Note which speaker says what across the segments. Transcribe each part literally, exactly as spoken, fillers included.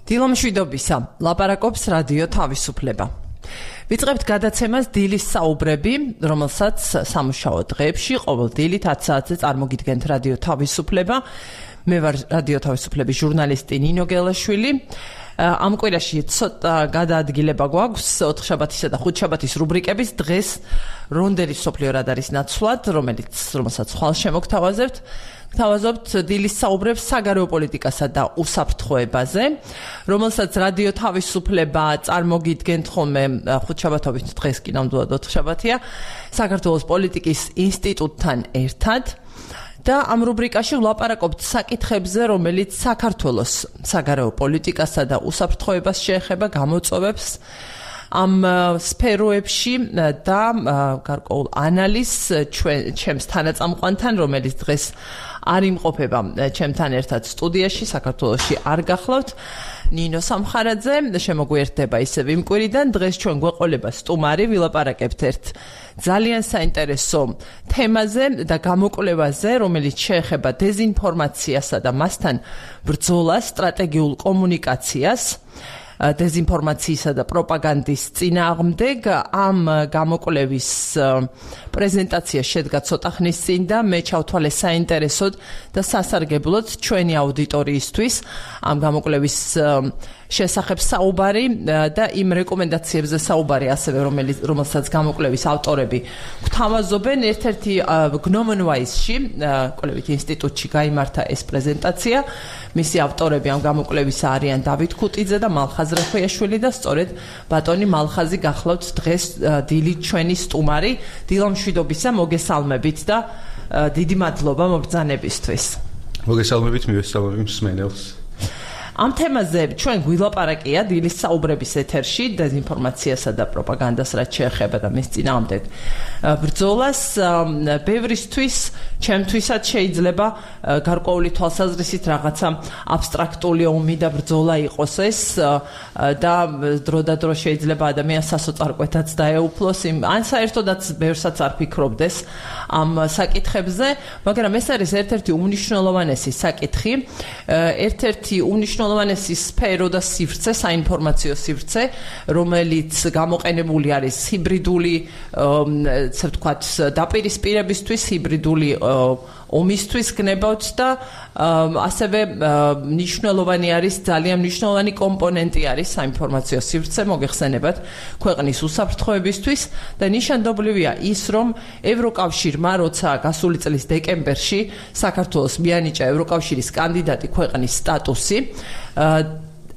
Speaker 1: დილომშვიდობისა, ლაპარაკობს რადიო თავისუფლება. ვიწყებთ გადაცემას დილის საუბრები, რომელსაც სამუშაო დღეებში ყოველ დილით ათი საათზე წარმოგიდგენთ რადიო თავისუფლება. მე ვარ რადიო თავისუფლების ჟურნალისტი ნინო გელაშვილი. ამ კვირაში ცოტა გადაადგილება გვაქვს ოთხშაბათისა და ხუთშაბათის რუბრიკების. დღეს რონდელის სოფლიო რადარის ნაცვლად, რომელიც რომელსაც ხვალ შემოგთავაზებთ, გთავაზობთ დილის საუბრებს საგარეო პოლიტიკასა და უსაფრთხოებაზე, რომელსაც რადიო თავისუფლება წარმოგიდგენთ ხოლმე ხუთშაბათობით, დღეს კი ნამდვილად ოთხშაბათია, საქართველოს პოლიტიკის ინსტიტუტთან ერთად. და ამ რუბრიკაში ვლაპარაკობთ საკითხებზე, რომელიც საქართველოს საგარეო პოლიტიკასა და უსაფრთხოებას შეეხება, გამოწვევებს ამ სფეროებში და გარკვეულ ანალიზს ჩემს თანაწამყვანთან, რომელიც დღეს არ იმყოფება ჩემთან ერთად სტუდიაში, საქართველოში არ გახლავთ, ნინო სამხარაძე, შემოგვიერთდება ისევ იმ კვირიდან. დღეს ჩვენ გვეყოლება სტუმარი, ვილაპარაკებთ ერთ ძალიან საინტერესო თემაზე და გამოკვლევაზე, რომელიც შეეხება დეზინფორმაციასა და მასთან ბრძოლას, სტრატეგიულ კომუნიკაციას, დეზინფორმაციისა და პროპაგანდის წინააღმდეგ. ამ გამოკვლევის პრეზენტაცია შედგა ცოტა ხნის წინ და მე ჩავთვალე საინტერესოდ და სასარგებლოდ ჩვენი აუდიტორიისთვის ამ გამოკვლევის შესახებ საუბარი და იმ რეკომენდაციებზე საუბარი ასევე, რომელიც რომელსაც გამოკვლევის ავტორები გვთავაზობენ. ერთ-ერთი გნომენვაისში, კვლევით ინსტიტუტში გაიმართა ეს პრეზენტაცია. მისი ავტორები ამ გამოკვლევისა არიან დავით ქუტიძე და მალხაზ რეხოიაშვილი და სწორედ ბატონი მალხაზი გახლავთ დღეს დილით ჩვენი სტუმარი. დილომშვიდობისა, მოგესალმებით და დიდი მადლობა მობრძანებისთვის.
Speaker 2: მოგესალმებით, მივესალმები მსმენელს.
Speaker 1: ამ თემაზე ჩვენ გვილაპარაკია დილის საუბრების ეთერში, დეზინფორმაციასა და პროპაგანდას რაც შეეხება და მის წინააღმდეგ ბრძოლას. ბევრისთვის, ჩემთვისაც შეიძლება გარკვეული თვალსაზრისით რაღაცა აბსტრაქტული ომი და ბრძოლა იყოს ეს და დროდადრო შეიძლება ადამიანს სასოწარკვეთაც დაეუფლოს, ან საერთოდაც ბევრსაც არ ფიქრობდეს ამ საკითხებზე, მაგრამ ეს არის ერთ-ერთი უმნიშვნელოვანესი საკითხი, ერთ-ერთი უმნიშვნელოვანესი უმნიშვნელოვანესი სფერო და სივრცე, საინფორმაციო სივრცე, რომელიც გამოყენებული არის ჰიბრიდული, ესე ვთქვათ, დაპირისპირებისთვის, ჰიბრიდული ომისთვის გნებავთ და ასევე მნიშვნელოვანი არის, ძალიან მნიშვნელოვანი კომპონენტი არის საინფორმაციო სივრცე, მოგეხსენებათ, ქვეყნის უსაფრთხოებისთვის და ნიშანდობლივია ის, რომ ევროკავშირმა, როცა გასული წლის დეკემბერში საქართველოს მიანიჭა ევროკავშირის კანდიდატი ქვეყნის სტატუსი,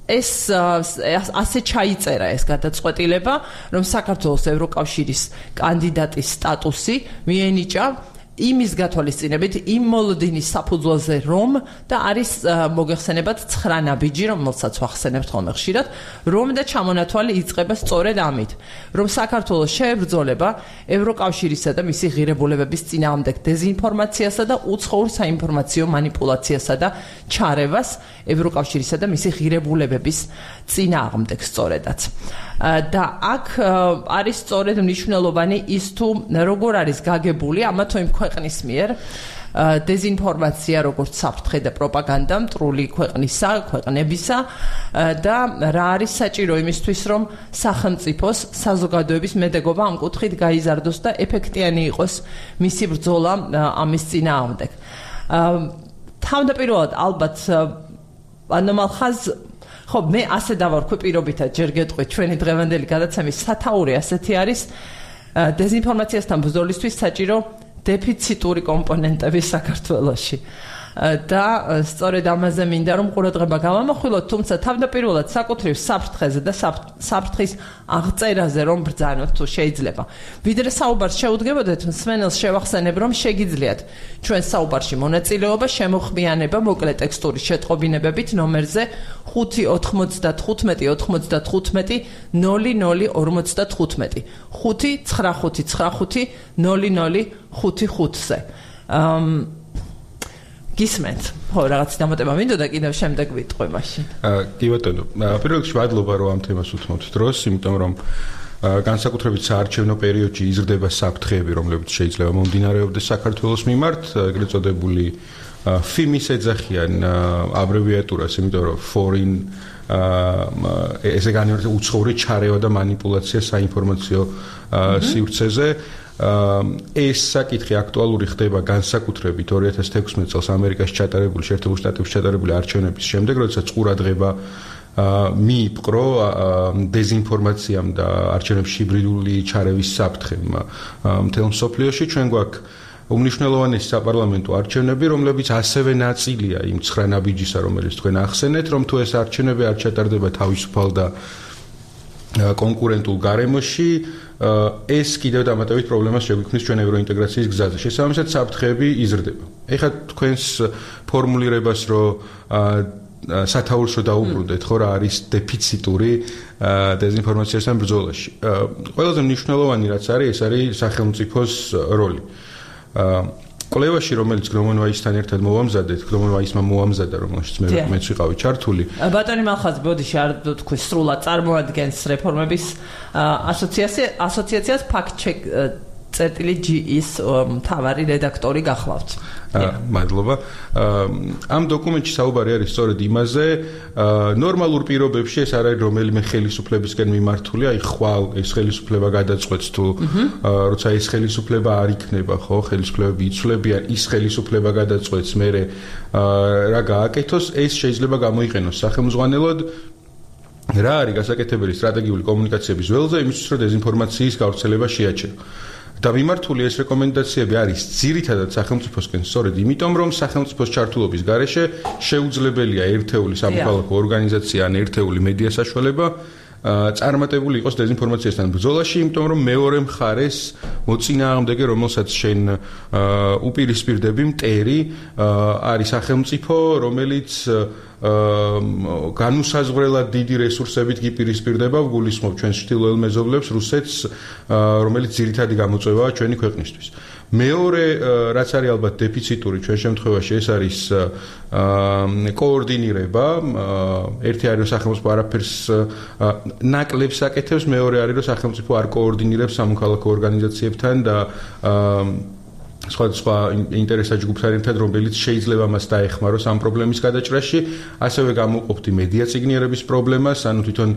Speaker 1: ეს ასე ჩაიწერა ეს გადაწყვეტილება, რომ საქართველოს ევროკავშირის კანდიდატის სტატუსი მიენიჭა იმის გათვალისწინებით, იმ მოლოდინის საფუძველზე, რომ და არის მოგეხსენებათ ცხრა ნაბიჯი, რომელსაც ვახსენებთ ხოლმე ხშირად, რომ და ჩამონათვალი იწყება სწორედ ამით, რომ საქართველოს შეებრძოლება ევროკავშირისა და მისი ღირებულებების წინააღმდეგ დეზინფორმაციასა და უცხოურ საინფორმაციო манипуляციასა და ჩარევას ევროკავშირისა და მისი ღირებულებების წინააღმდეგ სწორედაც. და აქ არის სწორედ მნიშვნელოვანი ის, თუ როგორ არის გაგებული ამა თუ იმ ქვეყნის მიერ დეზინფორმაცია, როგორც საფრთხე და პროპაგანდა მტრული ქვეყნისა, ქვეყნებისა და რა არის საჭირო იმისთვის, რომ სახელმწიფოს, საზოგადოების მედეგობა ამ კუთხით გაიზარდოს და ეფექტიანი იყოს მისი ბრძოლა ამის წინააღმდეგ. თავდაპირველად ალბათ ანუ მალხაზ ხო, მე ასე დავარქვი პირობითად, ჯერ გეტყვით, ჩვენი დღევანდელი გადაცემის სათაური ასეთი არის, დეზინფორმაციასთან ბრძოლისთვის საჭირო დეფიციტური კომპონენტები საქართველოში. და სწორედ ამაზე მინდა რომ ყურადღება გავამახვილოთ, თუმცა თავდაპირველად საკუთრივ საფრთხეზე და საფრთხის აღწერაზე რომ ბრძანოთ თუ შეიძლება. ვიდრე საუბარს შეუდგებოდეთ, მსმენელს შევახსენებ, რომ შეგიძლიათ ჩვენ საუბარში მონაწილეობა, შემოხმიანება მოკლე ტექსტური შეტყობინებებით ნომერზე ხუთი ოთხმოცდათხუთმეტი ოთხმოცდათხუთმეტი ნული ნული ორმოცდათხუთმეტი ხუთი ცხრა ხუთი ცხრა ხუთი ნული ნული ხუთი ხუთზე. გისმენთ, ხო, რაღაც დამატება მინდოდა კიდევ შემდეგ ვიტყვი მაშინ.
Speaker 2: აა, კი ბატონო, პირველ რიგში მადლობა რომ ამ თემას უთმობთ დროს, იმიტომ რომ განსაკუთრებით საარჩევნო პერიოდში იზრდება საფრთხეები, რომლებიც შეიძლება მომდინარეობდეს საქართველოს მიმართ, ეგრეთ წოდებული ფიმის ეძახიან აბრევიატურას, იმიტომ რომ foreign ესე განმარტება უცხოური ჩარევა და манипуляცია საინფორმაციო სივრცეზე. ეს საკითხი აქტუალური ხდება განსაკუთრებით ორი ათას თექვსმეტ წელს ამერიკაში ჩატარებული, შეერთებულ შტატებში ჩატარებული არჩევნების შემდეგ, როდესაც ყურადღება მიიპყრო დეზინფორმაციამ და არჩევნებში ჰიბრიდული ჩარევის საფრთხემ მთელ მსოფლიოში. ჩვენ გვაქვს უმნიშვნელოვანესი საპარლამენტო არჩევნები, რომლებიც ასევე ნაწილია იმ ცხრა ნაბიჯისა, რომელიც თქვენ ახსენეთ, რომ თუ ეს არჩევნები არ ჩატარდება თავისუფალ და კონკურენტულ გარემოში, ეს კიდევ დამატებით პრობლემას შეგვიქმნის ჩვენ ევროინტეგრაციის გზაზე. შესაბამისად, საფრთხეები იზრდება. ეხლა თქვენს ფორმულირებას, რომ სათაურს რო დაუბრუნდეთ, ხო რა არის დეფიციტური დეზინფორმაციასთან ბრძოლაში. ყველაზე მნიშვნელოვანი რაც არის, ეს არის სახელმწიფოს როლი. კვლევაში, რომელიც გრომონვაისთან ერთად მოვამზადეთ, გრომონვაისმა მოამზადა, რომელშიც მე მეც ვიყავი ჩართული.
Speaker 1: ბატონი მალხაზი, ბოდიში არ თქვი სრულად წარმოადგენს რეფორმების ასოციაციას ფაქტ-ჩეკ წერტილი ჯი-ის მთავარი რედაქტორი გახლავთ.
Speaker 2: მადლობა. ამ დოკუმენტში საუბარი არის სწორედ იმაზე, ნორმალურ პირობებში ეს არ არის რომელიმე ხელისუფლებისგან მიმართული, აი ხვალ ეს ხელისუფლება გადაწყვეტს თუ როცა ეს ხელისუფლება არ იქნება, ხო, ხელისუფლებები იცვლებიან, ის ხელისუფლება გადაწყვეტს მე რა გააკეთოს, ეს შეიძლება გამოიყენოს სახელმძღვანელოდ. რა არის გასაკეთებელი სტრატეგიული კომუნიკაციების ველზე, იმისთვის რომ დეზინფორმაციის გავრცელება შეაჩერო. და მიმართული ეს რეკომენდაციები არის ძირითადად სახელმწიფოსკენ სწორედ იმიტომ, რომ სახელმწიფოს ჩართულობის გარეშე შეუძლებელია ერთეული სამოქალაქო ორგანიზაცია ან ერთეული მედია საშუალება წარმატებული იყოს დეზინფორმაციასთან ბრძოლაში, იმიტომ რომ მეორე მხარეს მოწინააღმდეგე, რომელსაც შენ უპირისპირდები, მტერი არის სახელმწიფო, რომელიც განუსაზღვრელად დიდი რესურსებით გიპირისპირდება, გულისხმობ ჩვენს ჩრდილოელ მეზობლებს, რუსეთს, რომელიც ძირითადი გამოწვევაა ჩვენი ქვეყნისთვის. მეორე, რაც არის ალბათ დეფიციტური ჩვენ შემთხვევაში, ეს არის კოორდინირება. ერთი არის რომ სახელმწიფო არაფერს ნაკლებს აკეთებს, მეორე არის რომ სახელმწიფო არ კოორდინირებს სამოქალაქო ორგანიზაციებთან და სხვადასხვა ინტერესათა ჯგუფთან ერთად, რომელიც შეიძლება მას დაეხმაროს ამ პრობლემის გადაჭრაში, ასევე გამოვყოფდი მედია წიგნიერების პრობლემას, ანუ თვითონ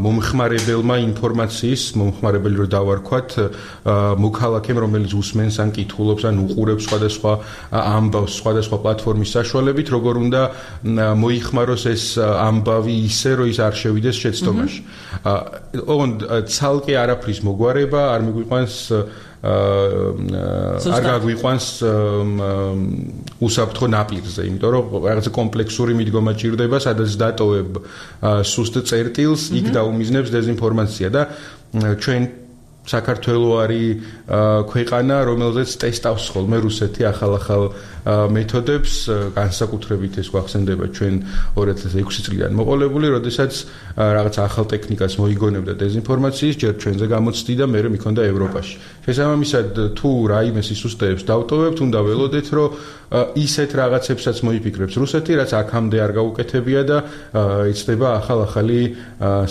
Speaker 2: მომხმარებელმა ინფორმაციის, მომხმარებელი რო დავარქვათ, მოქალაქემ, რომელიც უსმენს ან კითხულობს ან უყურებს სხვადასხვა ამბავს, სხვადასხვა პლატფორმის საშუალებით, როგორ უნდა მოიხმაროს ეს ამბავი ისე, რომ ის არ შევიდეს შეცდომაში. ოღონდ ცალკე არაფრის მოგვარება არ მიგვიყვანს არ გაგვიყვანს უსაფრთხო ნაპირზე, იმიტომ რომ რაღაცა კომპლექსური მიდგომა ჭირდება, სადაც დატოვებ სუსტ წერტილს, იქ დაუმიზნებს დეზინფორმაცია და ჩვენ საქართველო არის ქვეყანა, რომელზეც ტესტავს ხოლმე რუსეთი ახალ-ახალ მეთოდებს, განსაკუთრებით ეს გვახსენდება ჩვენ ორი ათას ექვსი წლიდან მოყოლებული, როდესაც რაღაც ახალ ტექნიკას მოიგონებდა დეზინფორმაციის, ჯერ ჩვენზე გამოცდი და მე მიქონდა ევროპაში. შესაბამისად, თუ რაიმე სისუსტეებს დავტოვებთ, უნდა ველოდეთ, რომ ისეთ რაღაცებსაც მოიფიქრებს რუსეთი, რაც აქამდე არ გაუკეთებია და იცდება ახალ-ახალი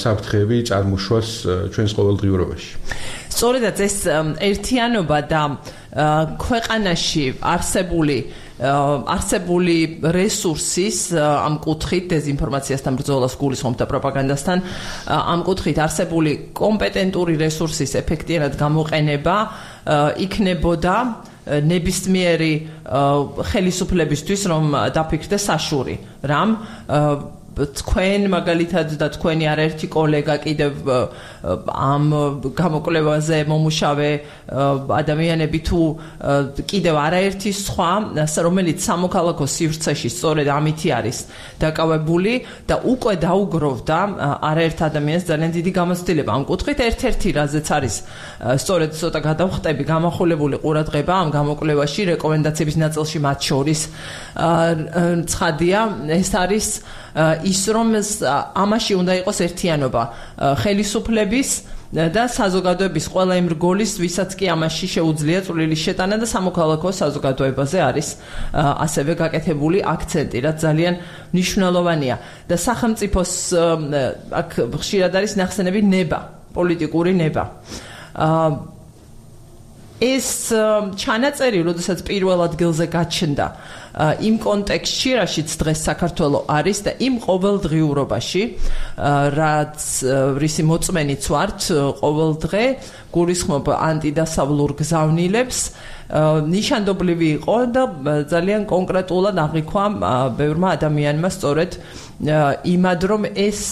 Speaker 2: საფრთხეები წარმოშვას ჩვენს ყოველდღიურობაში.
Speaker 1: სწორედაც ეს ერთიანობა და ქვეყანაში არსებული არსებული რესურსის ამ კუთხით დეზინფორმაციასთან ბრძოლას გულისხმობ და პროპაგანდასთან ამ კუთხით არსებული კომპეტენტური რესურსის ეფექტიანად გამოყენება იქნებოდა ნებისმიერი ხელისუფლებისთვის, რომ დაფიქრდეს საშური რამ თქვენ მაგალითად და თქვენი არაერთი კოლეგა კიდევ ამ გამოკვლევაზე მომუშავე ადამიანები თუ კიდევ არაერთი სხვა, რომელიც სამოქალაქო სივრცეში სწორედ ამითი არის დაკავებული და უკვე დაუგროვდა არაერთ ადამიანს ძალიან დიდი გამოცდილება ამ კუთხით. ერთ-ერთი რაზეც არის სწორედ ცოტა გადავხტები გამახვილებული ყურადღება ამ გამოკვლევაში რეკომენდაციების ნაწილში მათ შორის ცხადია, ეს არის ის რომ ამაში უნდა იყოს ერთიანობა ხელისუფლების და საზოგადოების ყველა იმ რგოლის, ვისაც კი ამაში შეუძლია წვლილი შეტანა და სამოქალაქო საზოგადოებაზე არის ასევე გაკეთებული აქცენტი, რაც ძალიან მნიშვნელოვანია. და სახელმწიფოს აქ ხშირად არის ნახსენები ნება, პოლიტიკური ნება. ეს ჩანაწერი, როდესაც პირველ ადგილზე გაჩნდა იმ კონტექსტში, რაშიც დღეს საქართველო არის და იმ ყოველდღიურობაში, რაც რისი მოწმენიც ვართ, ყოველდღე გულისხმობ ანტიდასავლურ გზავნილებს, ნიშანდობლივი იყო და ძალიან კონკრეტულად აღიქვა ბევრმა ადამიანმა სწორედ იმად, რომ ეს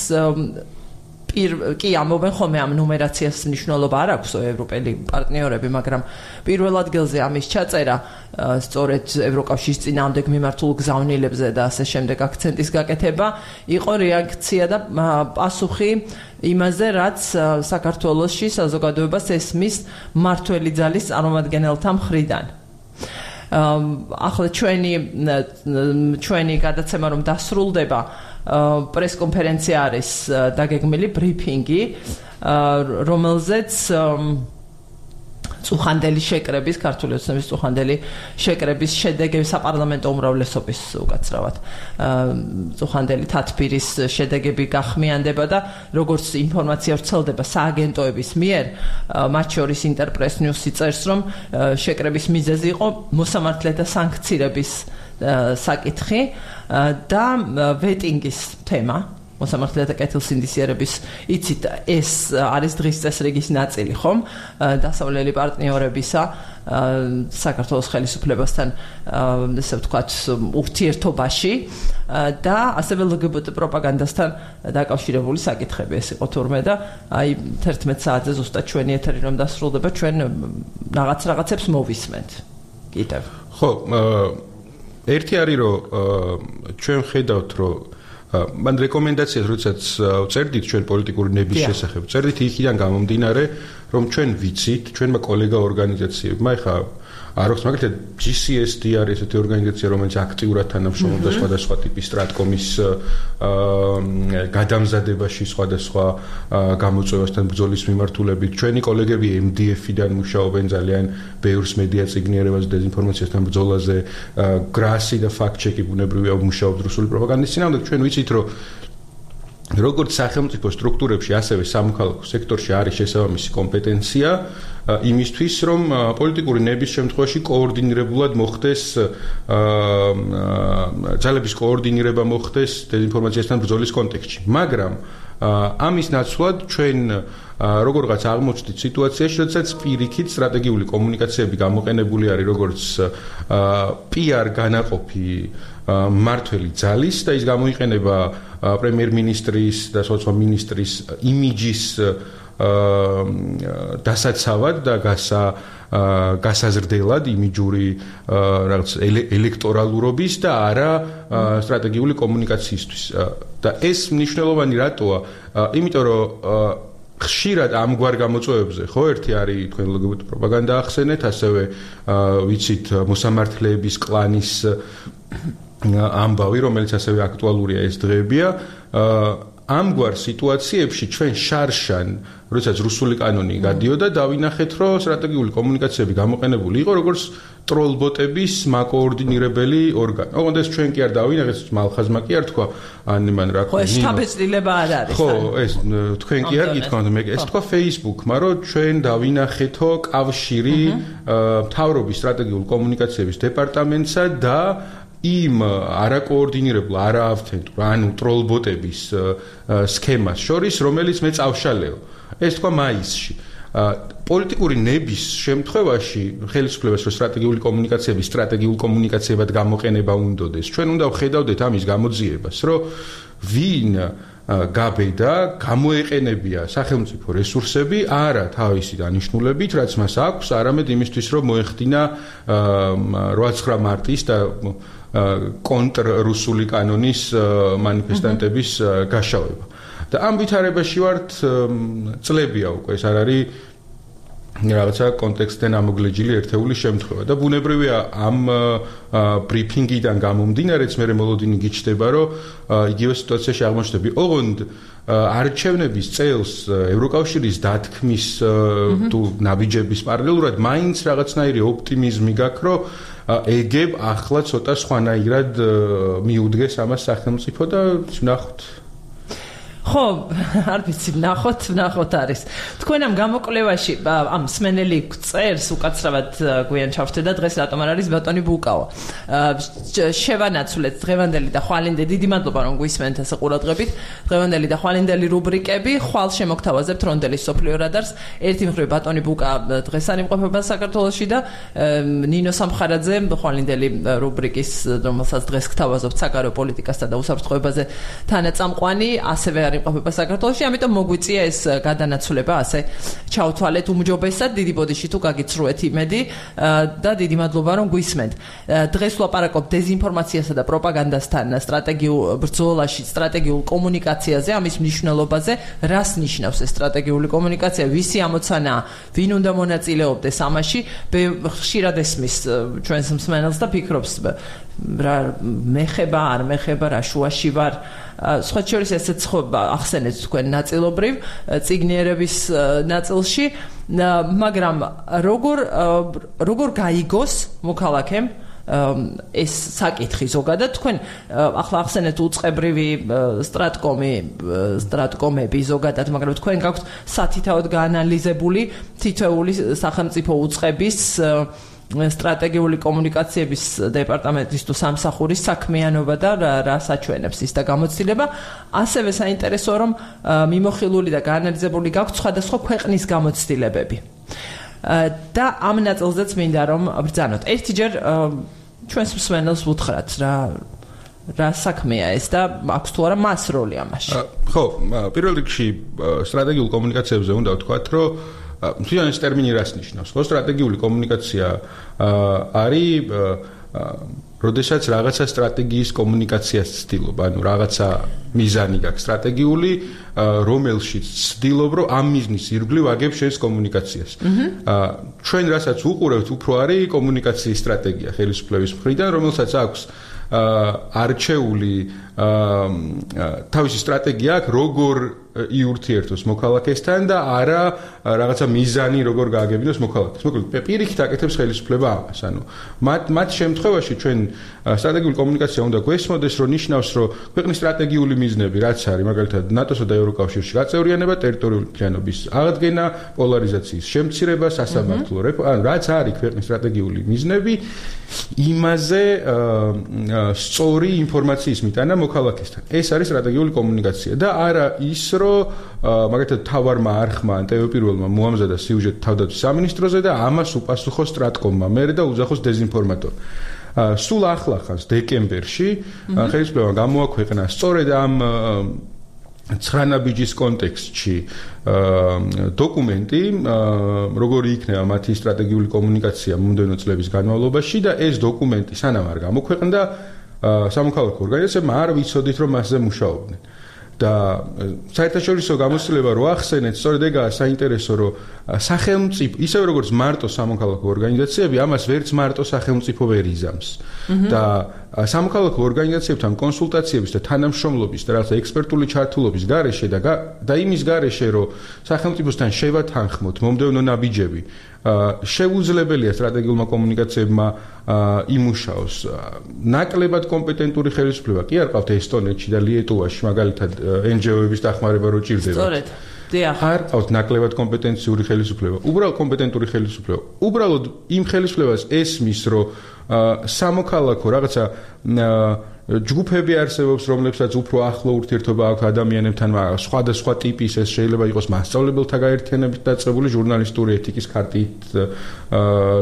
Speaker 1: კი ამობენ ხოლმე ამ ნუმერაციას მნიშვნელობა არ აქვს ევროპელი პარტნიორები, მაგრამ პირველ ადგილზე ამის ჩაწერა სწორედ ევროკავშირის წინააღმდეგ მიმართულ გზავნილებზე და ასე შემდეგ აქცენტის გაკეთება იყო რეაქცია და პასუხი იმაზე, რაც საქართველოში საზოგადოებას ესმის მმართველი ძალის წარმომადგენელთა მხრიდან. ახლა ჩვენი ჩვენი გადაცემა რომ დასრულდება, პრესკონფერენცია არის დაგეგმილი, ბრიფინგი, რომელზეც წუხანდელი შეკრების, ქართული ოცნების წუხანდელი შეკრების შედეგები საპარლამენტო უმრავლესობის უკაცრავად წუხანდელი თათბირის შედეგები გახმიანდება და როგორც ინფორმაცია ვრცელდება სააგენტოების მიერ, მათ შორის ინტერპრეს ნიუსი წერს, რომ შეკრების მიზეზი იყო მოსამართლეთა სანქცირების საკითხი და ვეტინგის თემა. მოსამართლეთა კეთილსინდისიერების, იცით, ეს არის დღის წესრიგის ნაწილი, ხომ? დასავლელი პარტნიორებისა საქართველოს ხელისუფლებასთან, ესე ვთქვათ, ურთიერთობაში და ასევე ლგბტ პროპაგანდასთან დაკავშირებული საკითხები ეს იყო თურმე და აი თერთმეტ საათზე ზუსტად ჩვენი ეთერი რომ დასრულდება, ჩვენ რაღაც რაღაცებს მოვისმენთ. კიდევ.
Speaker 2: ხო, ერთი არის რომ ჩვენ ხედავთ რომ მან რეკომენდაციას როდესაც წერდით ჩვენ პოლიტიკური ნების შესახებ, წერდით იქიდან გამომდინარე, რომ ჩვენ ვიცით, ჩვენმა კოლეგა ორგანიზაციებმა, ეხა არ აქვს მაგალითად ჯი სი ეს დი არის ესეთი ორგანიზაცია, რომელიც აქტიურად თანამშრომლობდა სხვადასხვა ტიპის სტრატკომის გადამზადებაში, სხვადასხვა გამოწვევასთან ბრძოლის მიმართულებით. ჩვენი კოლეგები ემ დი ეფ-დან მუშაობენ ძალიან ბევრს მედია წიგნიერებაზე, დეзინფორმაციასთან ბრძოლაზე, გრასი და ფაქტ-ჩეკი ბუნებრივია მუშაობთ რუსული პროპაგანდის წინააღმდეგ. ჩვენ ვიცით, რომ როგორც სახელმწიფო სტრუქტურებში, ასევე სამოქალაქო სექტორში არის შესაბამისი კომპეტენცია იმისთვის, რომ პოლიტიკური ნების შემთხვევაში კოორდინირებულად მოხდეს ძალების კოორდინირება მოხდეს დეзინფორმაციასთან ბრძოლის კონტექსტში. მაგრამ ამის ნაცვლად ჩვენ როგორღაც აღმოჩნდით სიტუაციაში, როდესაც პირიქით სტრატეგიული კომუნიკაციები გამოყენებული არის როგორც პი არ განაყოფი მმართველი ძალის და ის გამოიყენება პრემიერ-მინისტრის და სხვა მინისტრის იმიჯის დასაცავად და გასა გასაზრდელად იმიჯური რაღაც ელექტორალურობის და არა სტრატეგიული კომუნიკაციისთვის. და ეს მნიშვნელოვანი რატოა? იმიტომ რომ ხშირად ამგვარ გამოწვევებზე, ხო, ერთი არის თქვენ ლგბტ პროპაგანდა ახსენეთ, ასევე ვიცით მოსამართლეების კლანის ამბავი, რომელიც ასევე აქტუალურია ეს დღეებია. ამგვარ სიტუაციებში ჩვენ შარშან, როდესაც რუსული კანონი გადიოდა, დავინახეთ, რომ სტრატეგიული კომუნიკაციები გამოყენებული იყო როგორც ტროლბოტების მაკოორდინირებელი ორგანო. ოღონდ ეს ჩვენ კი არ დავინახეთ, მალხაზმა კი არ თქვა, ან მან რა
Speaker 1: ხო, ეს შთაბეჭდილება არ არის.
Speaker 2: ხო, ეს თქვენ კი არ გითქვამთ, მე ეს თქვა Facebook-მა, რომ ჩვენ დავინახეთო კავშირი მთავრობის სტრატეგიული კომუნიკაციების დეპარტამენტსა და იმ არაკოორდინირებულ, არაავთენტურ, ანუ ტროლბოტების სქემას შორის, რომელიც მე წავშალეო. ეს თქვა მაისში. პოლიტიკური ნების შემთხვევაში ხელისუფლებას რო სტრატეგიული კომუნიკაციები სტრატეგიულ კომუნიკაციებად გამოყენება უნდოდეს. ჩვენ უნდა ვხედავდეთ ამის გამოძიებას, რომ ვინ გაბედა, გამოეყენებია სახელმწიფო რესურსები არა თავისი დანიშნულებით, რაც მას აქვს, არამედ იმისთვის, რომ მოეხდინა რვაცხრა მარტის და კონტრ-რუსული კანონის მანიფესტანტების გაშავება. და ამ ვითარებაში ვართ წლებია უკვე, ეს არ არის რაღაცა კონტექსტიდან ამოგლეჯილი ერთეული შემთხვევა და ბუნებრივია ამ ბრიფინგიდან გამომდინარეც მე მოლოდინი გიჩნდება, რომ იგივე სიტუაციაში აღმოჩნდები. ოღონდ არჩევნების წელს ევროკავშირის დათქმის თუ ნაბიჯების პარალელურად მაინც რაღაცნაირი ოპტიმიზმი გაქვს, რომ ეგებ ახლა ცოტა სხვანაირად მიუდგეს ამას სახელმწიფო და ვნახოთ.
Speaker 1: ხო, არ ვიცი, ნახოთ, ნახოთ არის. თქვენ ამ გამოკვლევაში ამ მსმენელი წერს უკაცრავად გვიან ჩავთვლა დღეს რატომ არ არის ბატონი ბუკაო. შევანაცვლეთ დღევანდელი და ხვალინდელი, დიდი მადლობა რომ გვისმენთ ასე ყურადღებით. დღევანდელი და ხვალინდელი რუბრიკები, ხვალ შემოგთავაზებთ რონდელის სოფლიო რადარს. ერთი მხრივ ბატონი ბუკა დღეს არ იმყოფება საქართველოში და ნინო სამხარაძე ხვალინდელი რუბრიკის, რომელსაც დღეს გთავაზობთ საგარეო პოლიტიკასთან და უსაფრთხოებაზე თანაწამყვანი, ასევე არ იმყოფება საქართველოში, ამიტომ მოგვიწია ეს გადანაცვლება, ასე ჩავთვალეთ უმჯობესად, დიდი ბოდიში თუ გაგიცრუეთ იმედი და დიდი მადლობა რომ გვისმენთ. დღეს ვლაპარაკობთ დეზინფორმაციასა და პროპაგანდასთან სტრატეგიულ ბრძოლაში, სტრატეგიულ კომუნიკაციაზე, ამის მნიშვნელობაზე, რას ნიშნავს ეს სტრატეგიული კომუნიკაცია, ვისი ამოცანაა, ვინ უნდა მონაწილეობდეს ამაში, ხშირად ესმის ჩვენს მსმენელს და ფიქრობს რა მეხება, არ მეხება, რა შუაში ვარ. სხვა შორის ესეც ხო ახსენეთ თქვენ ნაწილობრივ წიგნიერების ნაწილში, მაგრამ როგორ როგორ გაიგოს მოქალაქემ ეს საკითხი ზოგადად თქვენ ახლა ახსენეთ უწყებრივი სტრატკომი სტრატკომები ზოგადად, მაგრამ თქვენ გაქვთ სათითაოდ გაანალიზებული თითოეული სახელმწიფო უწყების სტრატეგიული კომუნიკაციების დეპარტამენტის თუ სამსახურის საქმიანობა და რა საჩვენებს ის და გამოცდილება. ასევე საინტერესოა რომ მიმოხილული და გაანალიზებული გაქვთ სხვადასხვა ქვეყნის გამოცდილებები. და ამ ნაწილზეც მინდა რომ ბრძანოთ. ერთიჯერ ჩვენს მსმენელს ვუთხრათ რა რა საქმეა ეს და აქვს თუ არა მას როლი ამაში.
Speaker 2: ხო, პირველ რიგში სტრატეგიულ კომუნიკაციებზე უნდა ვთქვათ, რომ თვითონ ეს ტერმინი რას ნიშნავს? ხო, სტრატეგიული კომუნიკაცია არის როდესაც რაღაცა სტრატეგიის კომუნიკაციას ცდილობ, ანუ რაღაცა მიზანი გაქვს სტრატეგიული, რომელშიც ცდილობ, რომ ამ მიზნის ირგვლივ აგებ შენს კომუნიკაციას. ჩვენ რასაც უყურებთ, უფრო არის კომუნიკაციის სტრატეგია ხელისუფლების მხრიდან, რომელსაც აქვს არჩეული თავისი სტრატეგია აქვს, როგორ იურთიერთოს მოქალაქესთან და არა რაღაცა მიზანი როგორ გააგებინოს მოქალაქეს. მოკლედ, პირიქით აკეთებს ხელისუფლება ამას. ანუ მათ მათ შემთხვევაში ჩვენ სტრატეგიული კომუნიკაცია უნდა გვესმოდეს, რომ ნიშნავს, რომ ქვეყნის სტრატეგიული მიზნები, რაც არის, მაგალითად, ნატოსა და ევროკავშირში გაწევრიანება, ტერიტორიული მთლიანობის აღდგენა, პოლარიზაციის შემცირება, სასამართლო რეფორმა, ანუ რაც არის ქვეყნის სტრატეგიული მიზნები, იმაზე სწორი ინფორმაციის მიტანა მოქალაქესთან. ეს არის სტრატეგიული კომუნიკაცია და არა ის, რომ მაგალითად თავარმა არხმა ან ტევ პირველმა მოამზადა სიუჟეტი თავდაცვის სამინისტროზე და ამას უპასუხო სტრატკომმა მერე და უძახოს დეზინფორმატორი. სულ ახლახანს დეკემბერში ხელისუფლებამ გამოაქვეყნა სწორედ ამ ცხრა ნაბიჯის კონტექსტში დოკუმენტი, როგორი იქნება მათი სტრატეგიული კომუნიკაცია მომდევნო წლების განმავლობაში და ეს დოკუმენტი სანამ არ გამოქვეყნდა სამოქალაქო ორგანიზაციებმა არ ვიცოდით რომ მასზე მუშაობდნენ. და საერთაშორისო გამოცდილება რო ახსენეთ, სწორედ ეგაა საინტერესო, რომ სახელმწიფო, ისევე როგორც მარტო სამოქალაქო ორგანიზაციები, ამას ვერც მარტო სახელმწიფო ვერ იზამს. და სამოქალაქო ორგანიზაციებთან კონსულტაციების და თანამშრომლობის და რაღაცა ექსპერტული ჩართულობის გარეშე და და იმის გარეშე, რომ სახელმწიფოსთან შევათანხმოთ მომდევნო ნაბიჯები, შეუძლებელია სტრატეგიულმა კომუნიკაციებმა იმუშაოს. ნაკლებად კომპეტენტური ხელისუფლება კი არ ყავთ ესტონეთში და ლიეტუვაში, მაგალითად en ge o-ების დახმარება რო ჭირდება.
Speaker 1: სწორედ. დიახ.
Speaker 2: არ ყავთ ნაკლებად კომპეტენციური ხელისუფლება. უბრალოდ კომპეტენტური ხელისუფლება. უბრალოდ იმ ხელისუფლებას ესმის, რომ სამოქალაქო რაღაცა ჯგუფები არსებობს, რომლებსაც უფრო ახლო ურთიერთობა აქვს ადამიანებთან, სხვადასხვა ტიპის, ეს შეიძლება იყოს მასწავლებელთა გაერთიანებით დაწყებული ჟურნალისტური ეთიკის ქარტით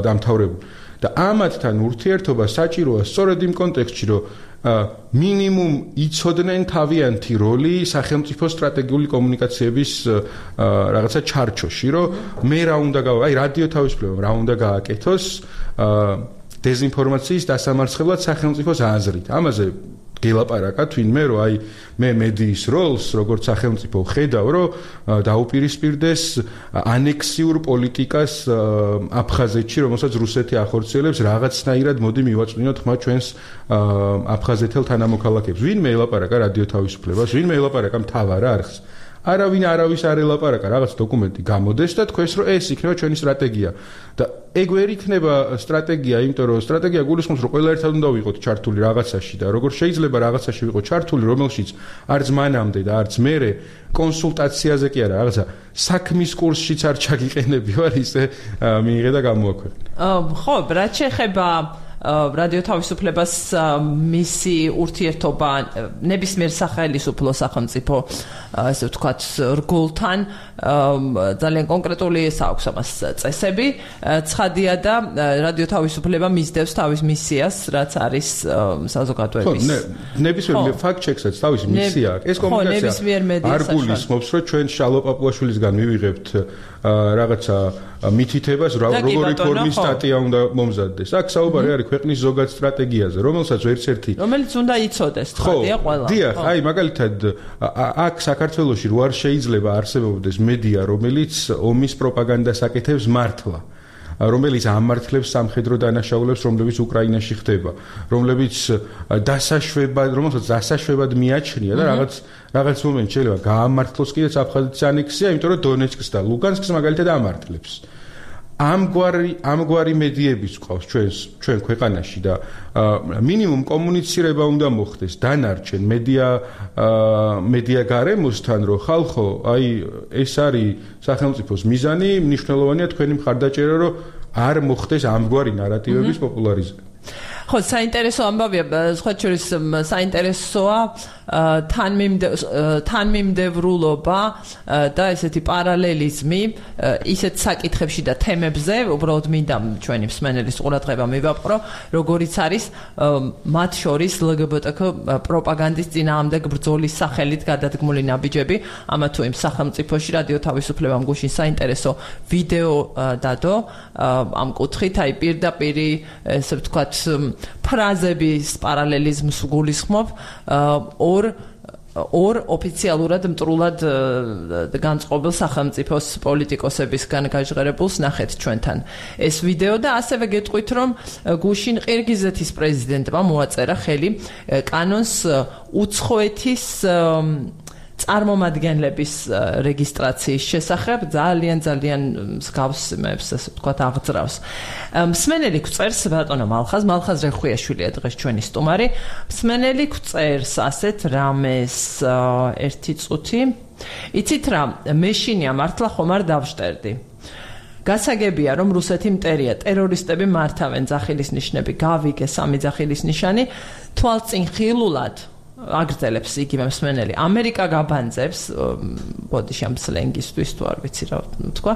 Speaker 2: დამთავრებული. და ამათთან ურთიერთობა საჭიროა სწორედ იმ კონტექსტში, რომ მინიმუმ იცოდნენ თავიანთი როლი სახელმწიფო სტრატეგიული კომუნიკაციების რაღაცა ჩარჩოში, რომ მე რა უნდა გავა, აი რადიო თავისუფლებამ რა უნდა გააკეთოს დეზინფორმაციის დასამარცხებლად სახელმწიფოს აზრით. ამაზე გელაპარაკა თვინმე, რომ აი მე მედიის როლს როგორც სახელმწიფო ხედავ, რომ დაუპირისპირდეს ანექსიურ პოლიტიკას აფხაზეთში, რომელსაც რუსეთი ახორციელებს, რაღაცნაირად მოდი მივაწვინოთ ხმა ჩვენს აფხაზეთელ თანამოქალაქეებს. ვინმე ელაპარაკა რადიო თავისუფლებას, ვინმე ელაპარაკა მთავარ არხს. არავინ არავის არ ელაპარაკა, რაღაც დოკუმენტი გამოდეს და თქვენს რომ ეს იქნება ჩვენი სტრატეგია. და ეგ ვერ იქნება სტრატეგია, იმიტომ რომ სტრატეგია გულისხმობს რომ ყველა ერთად უნდა ვიყოთ ჩართული რაღაცაში და როგორ შეიძლება რაღაცაში ვიყოთ ჩართული, რომელშიც არც მანამდე და არც მერე კონსულტაციაზე კი არა, რაღაცა საქმის კურსშიც არ ჩაგიყენები ვარ, ისე მიიღე და გამოაქვეყნე.
Speaker 1: ხო, რაც შეეხება რადიო თავისუფლებას მისი ურთიერთობა ნებისმიერ სახელმწიფო სახელმწიფო ასე ვთქვათ რგოლთან ძალიან კონკრეტული აქვს ამას წესები. ცხადია და რადიო თავისუფლება მისდევს თავის მისიას, რაც არის საზოგადოების.
Speaker 2: ხო, ნებისმიერ ფაქტ-ჩეკსაც თავისი მისია აქვს. ეს კომუნიკაცია არ გულისხმობს, რომ ჩვენ შალო პაპუაშვილისგან მივიღებთ რაღაცა მითითებას, როგორი ფორმის სტატია უნდა მომზადდეს. აქ საუბარი არის ქვეყნის ზოგად სტრატეგიაზე, რომელსაც ერთ-ერთი
Speaker 1: რომელიც უნდა იცოდეს, ცხადია ყველა.
Speaker 2: დიახ, აი მაგალითად აქ საქართველოში რო არ შეიძლება არსებობდეს მედია, რომელიც ომის პროპაგანდას აკეთებს მართლა, რომელიც ამართლებს სამხედრო დანაშაულებს, რომლებიც უკრაინაში ხდება, რომლებიც დასაშვებად, რომელსაც დასაშვებად მიაჩნია და რაღაც რაღაც მომენტ შეიძლება გაამართლოს კიდეც აფხაზეთის ანექსია, იმიტომ რომ დონეცკს და ლუგანსკს მაგალითად ამართლებს. ამგვარი ამგვარი მედიებიც ყავს ჩვენს ჩვენ ქვეყანაში და მინიმუმ კომუნიცირება უნდა მოხდეს დანარჩენ მედია მედია გარემოსთან, რომ ხალხო, აი ეს არის სახელმწიფოს მიზანი, მნიშვნელოვანია თქვენი მხარდაჭერა, რომ არ მოხდეს ამგვარი ნარატივების პოპულარიზება.
Speaker 1: ხო, საინტერესო ამბავია, სხვა შორის საინტერესოა თანმიმდევრულობა და ესეთი პარალელიზმი ისეთ საკითხებში და თემებზე, უბრალოდ მინდა ჩვენი მსმენელის ყურადღება მივაპყრო, როგორიც არის მათ შორის ლგბტკ პროპაგანდის წინააღმდეგ ბრძოლის სახელით გადადგმული ნაბიჯები, ამა თუ იმ სახელმწიფოში რადიო თავისუფლებამ გუშინ საინტერესო ვიდეო დადო ამ კუთხით, აი პირდაპირი ესე ვთქვათ ფრაზების პარალელიზმს გულისხმობ ორ ორ ოფიციალურად მტრულად განწყობილ სახელმწიფოს პოლიტიკოსებისგან გაჟღერებულს ნახეთ ჩვენთან ეს ვიდეო და ასევე გეტყვით რომ გუშინ ყირგიზეთის პრეზიდენტმა მოაწერა ხელი კანონს უცხოეთის წარმომადგენლების რეგისტრაციის შესახებ ძალიან ძალიან მსგავს იმებს ასე ვთქვათ აღძრავს. მსმენელი გვწერს ბატონო მალხაზ, მალხაზ რეხვიაშვილია დღეს ჩვენი სტუმარი. მსმენელი გვწერს ასეთ რამეს ერთი წუთი. იცით რა, მეშინია მართლა ხომ არ დავშტერდი. გასაგებია რომ რუსეთი მტერია, ტერორისტები მართავენ, ძახილის ნიშნები გავიგე, სამი ძახილის ნიშანი, თვალწინ ხილულად აგრძელებს იგივე მსმენელი. ამერიკა გაბანძებს, ბოდიში ამ სლენგისთვის თუ არ ვიცი რა თქვა,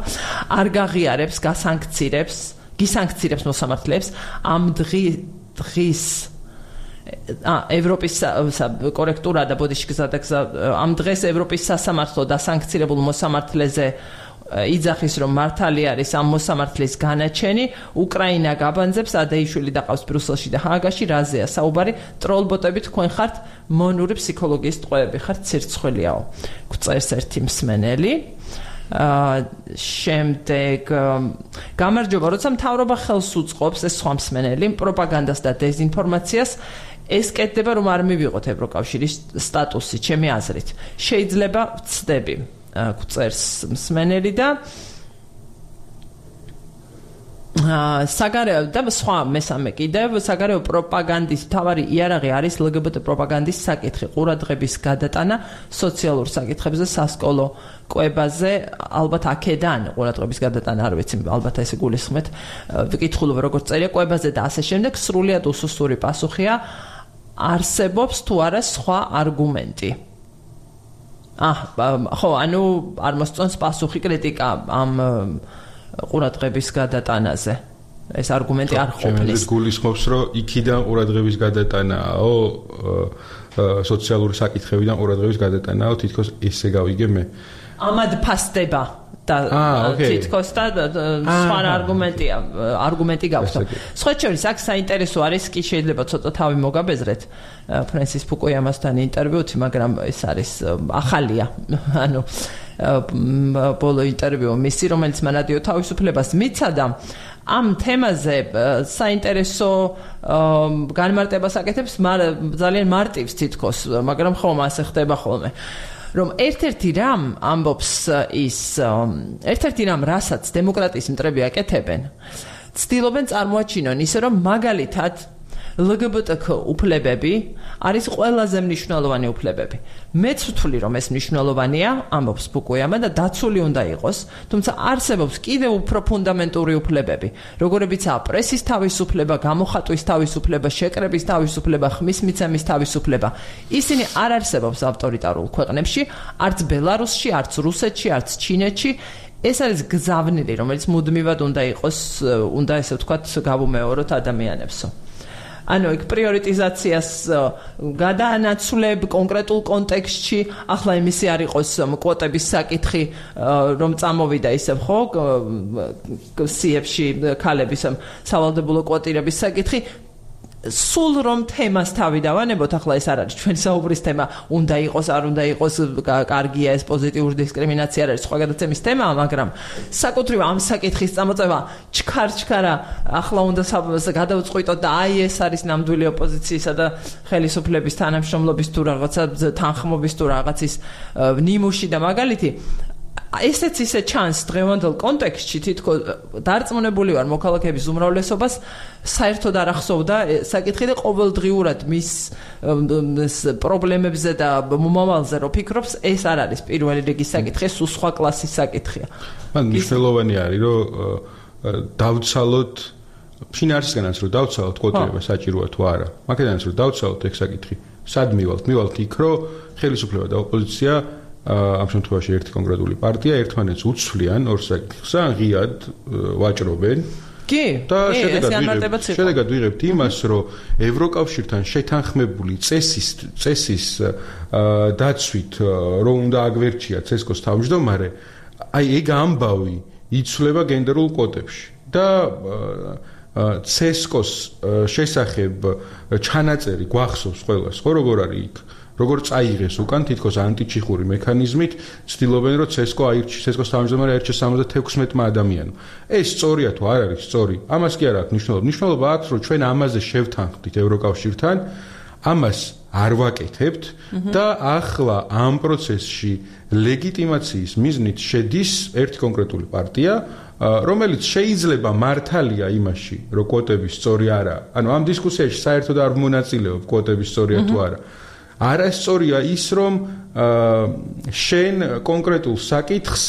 Speaker 1: არ გაღიარებს, გასანქცირებს, გისანქცირებს მოსამართლეებს ამ დღის ა ევროპის კორექტურა და ბოდიში გზადაგზა ამ დღეს ევროპის სასამართლო დასანქცირებულ მოსამართლეზე იძახის რომ მართალი არის ამ მოსამართლის განაჩენი, უკრაინა გაბანძებს, ადეიშვილი დაყავს ბრუსელში და ჰააგაში, რაზეა საუბარი, ტროლბოტები თქვენ ხართ მონური ფსიქოლოგიის ტყვეები, ხართ ცირცხველიაო. გვწერს ერთი მსმენელი. შემდეგ გამარჯობა, როცა მთავრობა ხელს უწყობს ეს სხვა მსმენელი პროპაგანდას და დეზინფორმაციას, ეს კეთდება რომ არ მივიღოთ ევროკავშირის სტატუსი, ჩემი აზრით. შეიძლება ვცდები. გვწერს მსმენელი და საგარეო და სხვა მესამე კიდევ საგარეო პროპაგანდის მთავარი იარაღი არის ლგბტ პროპაგანდის საკითხი, ყურადღების გადატანა სოციალურ საკითხებზე, სასკოლო კვებაზე, ალბათ აქედან ყურადღების გადატანა არ ვიცი, ალბათ ესე გულისხმეთ, ვიკითხულობ როგორც წერია კვებაზე და ასე შემდეგ, სრულიად უსუსტური პასუხია, არსებობს თუ არა სხვა არგუმენტი. Ah, ხო, ანუ არ მოსწონს პასუხი კრიტიკა ამ ყურადღების გადატანაზე. ეს არგუმენტი არ ყოფნის.
Speaker 2: გულისხმობს, რომ იქიდან ყურადღების გადატანაო, სოციალური საკითხებიდან ყურადღების გადატანაო, თითქოს ესე გავიგე მე.
Speaker 1: ამად ფასდება და თითქოს და სხვა არგუმენტია, არგუმენტი გაქვს. სხვა შორის აქ საინტერესო არის, კი შეიძლება ცოტა თავი მოგაბეზრეთ ფრენსის ფუკუიამასთან ინტერვიუთი, მაგრამ ეს არის ახალია. ანუ ბოლო ინტერვიუ მისი, რომელიც მან რადიო თავისუფლებას მიცადა, ამ თემაზე საინტერესო განმარტებას აკეთებს, ძალიან მარტივს თითქოს, მაგრამ ხომ ასე ხდება ხოლმე. რომ ერთ-ერთი რამ ამბობს ის ერთ-ერთი რამ რასაც დემოკრატიის მტრები აკეთებენ ცდილობენ წარმოაჩინონ ისე რომ მაგალითად L G B T Q უფლებები არის ყველაზე მნიშვნელოვანი უფლებები. მეც ვთვლი რომ ეს მნიშვნელოვანია, ამბობს ბუკუიამა და დაცული უნდა იყოს, თუმცა არსებობს კიდევ უფრო ფუნდამენტური უფლებები, როგორებიცაა პრესის თავისუფლება, გამოხატვის თავისუფლება, შეკრების თავისუფლება, ხმის მიცემის თავისუფლება. ისინი არ არსებობს ავტორიტარულ ქვეყნებში, არც ბელარუსში, არც რუსეთში, არც ჩინეთში. ეს არის გზავნილი, რომელიც მუდმივად უნდა იყოს, უნდა ესე ვთქვათ, გავუმეოროთ ადამიანებსო. ანუ იქ პრიორიტიზაციას გადაანაცვლებ კონკრეტულ კონტექსტში, ახლა იმისი არ იყოს კვოტების საკითხი, რომ წამოვიდა ისევ ხო, სიებში ქალების სავალდებულო კვოტირების საკითხი. სულ რომ თემას თავი დავანებოთ, ახლა ეს არ არის ჩვენი საუბრის თემა, უნდა იყოს, არ უნდა იყოს, კარგია ეს პოზიტიური დისკრიმინაცია არ არის სხვა გადაცემის თემაა, მაგრამ საკუთრივ ამ საკითხის წამოწევა ჩქარ-ჩქარა ახლა უნდა გადავწყვიტოთ და აი ეს არის ნამდვილი ოპოზიციისა და ხელისუფლების თანამშრომლობის თუ რაღაცა თანხმობის თუ რაღაცის ნიმუში და მაგალითი ესეც ისე ჩანს დღევანდელ კონტექსტში თითქოს დარწმუნებული ვარ მოქალაქეების უმრავლესობას საერთოდ არ ახსოვდა საკითხი და ყოველდღიურად მის პრობლემებზე და მომავალზე რო ფიქრობს ეს არ არის პირველი რიგის საკითხი, ეს სხვა კლასის საკითხია.
Speaker 2: მან მნიშვნელოვანი არის რომ დავცალოთ ფინანსისგანაც რომ დავცალოთ კვოტირება საჭიროა თუ არა. მაგედანაც რომ დავცალოთ ეგ საკითხი. სად მივალთ? მივალთ იქ რომ ხელისუფლება და ოპოზიცია ამ შემთხვევაში ერთი კონკრეტული პარტია ერთმანეთს უცვლიან ორ საკითხს, ან ღიად ვაჭრობენ.
Speaker 1: კი,
Speaker 2: და შედეგად ვიღებთ იმას, რომ ევროკავშირთან შეთანხმებული წესის წესის დაცვით, რომ უნდა აგვერჩია ცესკოს თავმჯდომარე, აი ეგ ამბავი იცვლება გენდერულ კვოტებში და ცესკოს შესახებ ჩანაწერი გვახსოვს ყველას, ხო როგორ არის იქ როგორ წაიღეს უკან თითქოს ანტიჩიხური მექანიზმით ცდილობენ რომ ცესკო აირჩიეს ცესკოს თავმჯდომარე აირჩიეს სამოცდათექვსმეტმა ადამიანმა. ეს სწორია თუ არ არის სწორი? ამას კი არ აქვს მნიშვნელობა. მნიშვნელობა აქვს რომ ჩვენ ამაზე შევთანხმდით ევროკავშირთან, ამას არ ვაკეთებთ და ახლა ამ პროცესში ლეგიტიმაციის მიზნით შედის ერთი კონკრეტული პარტია, რომელიც შეიძლება მართალია იმაში, რომ კვოტები სწორი არაა. ანუ ამ დისკუსიაში საერთოდ არ მონაწილეობ კვოტები სწორია თუ არა. არასწორია ის, რომ შენ კონკრეტულ საკითხს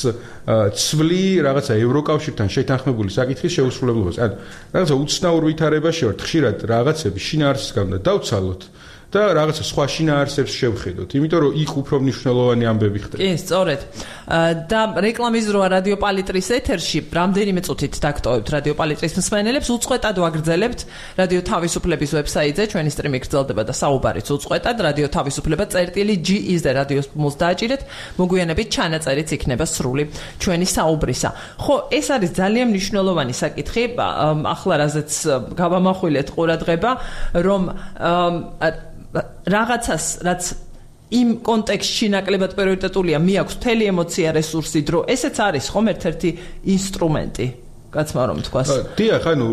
Speaker 2: ცვლი რაღაცა ევროკავშირთან შეთანხმებული საკითხის შეუსრულებლობას. ანუ რაღაცა უცნაურ ვითარებაში ვართ, ხშირად რაღაცები შინაარსის გამო დავცალოთ და რაღაცა სხვა შინაარსებს შევხედოთ, იმიტომ რომ იქ უფრო მნიშვნელოვანი ამბები ხდება.
Speaker 1: კი, სწორედ. და რეკლამის დროა რადიო პალიტრის ეთერში, რამდენიმე წუთით დაგტოვებთ რადიო პალიტრის მსმენელებს, უწყვეტად ვაგრძელებთ რადიო თავისუფლების ვებსაიტზე, ჩვენი სტრიმი გრძელდება და საუბარიც უწყვეტად, რადიო თავისუფლება წერტილი G is-ზე რადიოს პლუს დააჭირეთ, მოგვიანებით ჩანაწერიც იქნება სრული ჩვენი საუბრისა. ხო, ეს არის ძალიან მნიშვნელოვანი საკითხი, ახლა რაზეც გავამახვილეთ ყურადღება, რომ რაღაცას, რაც იმ კონტექსტში ნაკლებად პრიორიტეტულია, მიაქვს მთელი ემოცია, რესურსი, დრო, ესეც არის ხომ ერთ-ერთი ინსტრუმენტი, კაცმა რომ თქვას.
Speaker 2: დიახ, ანუ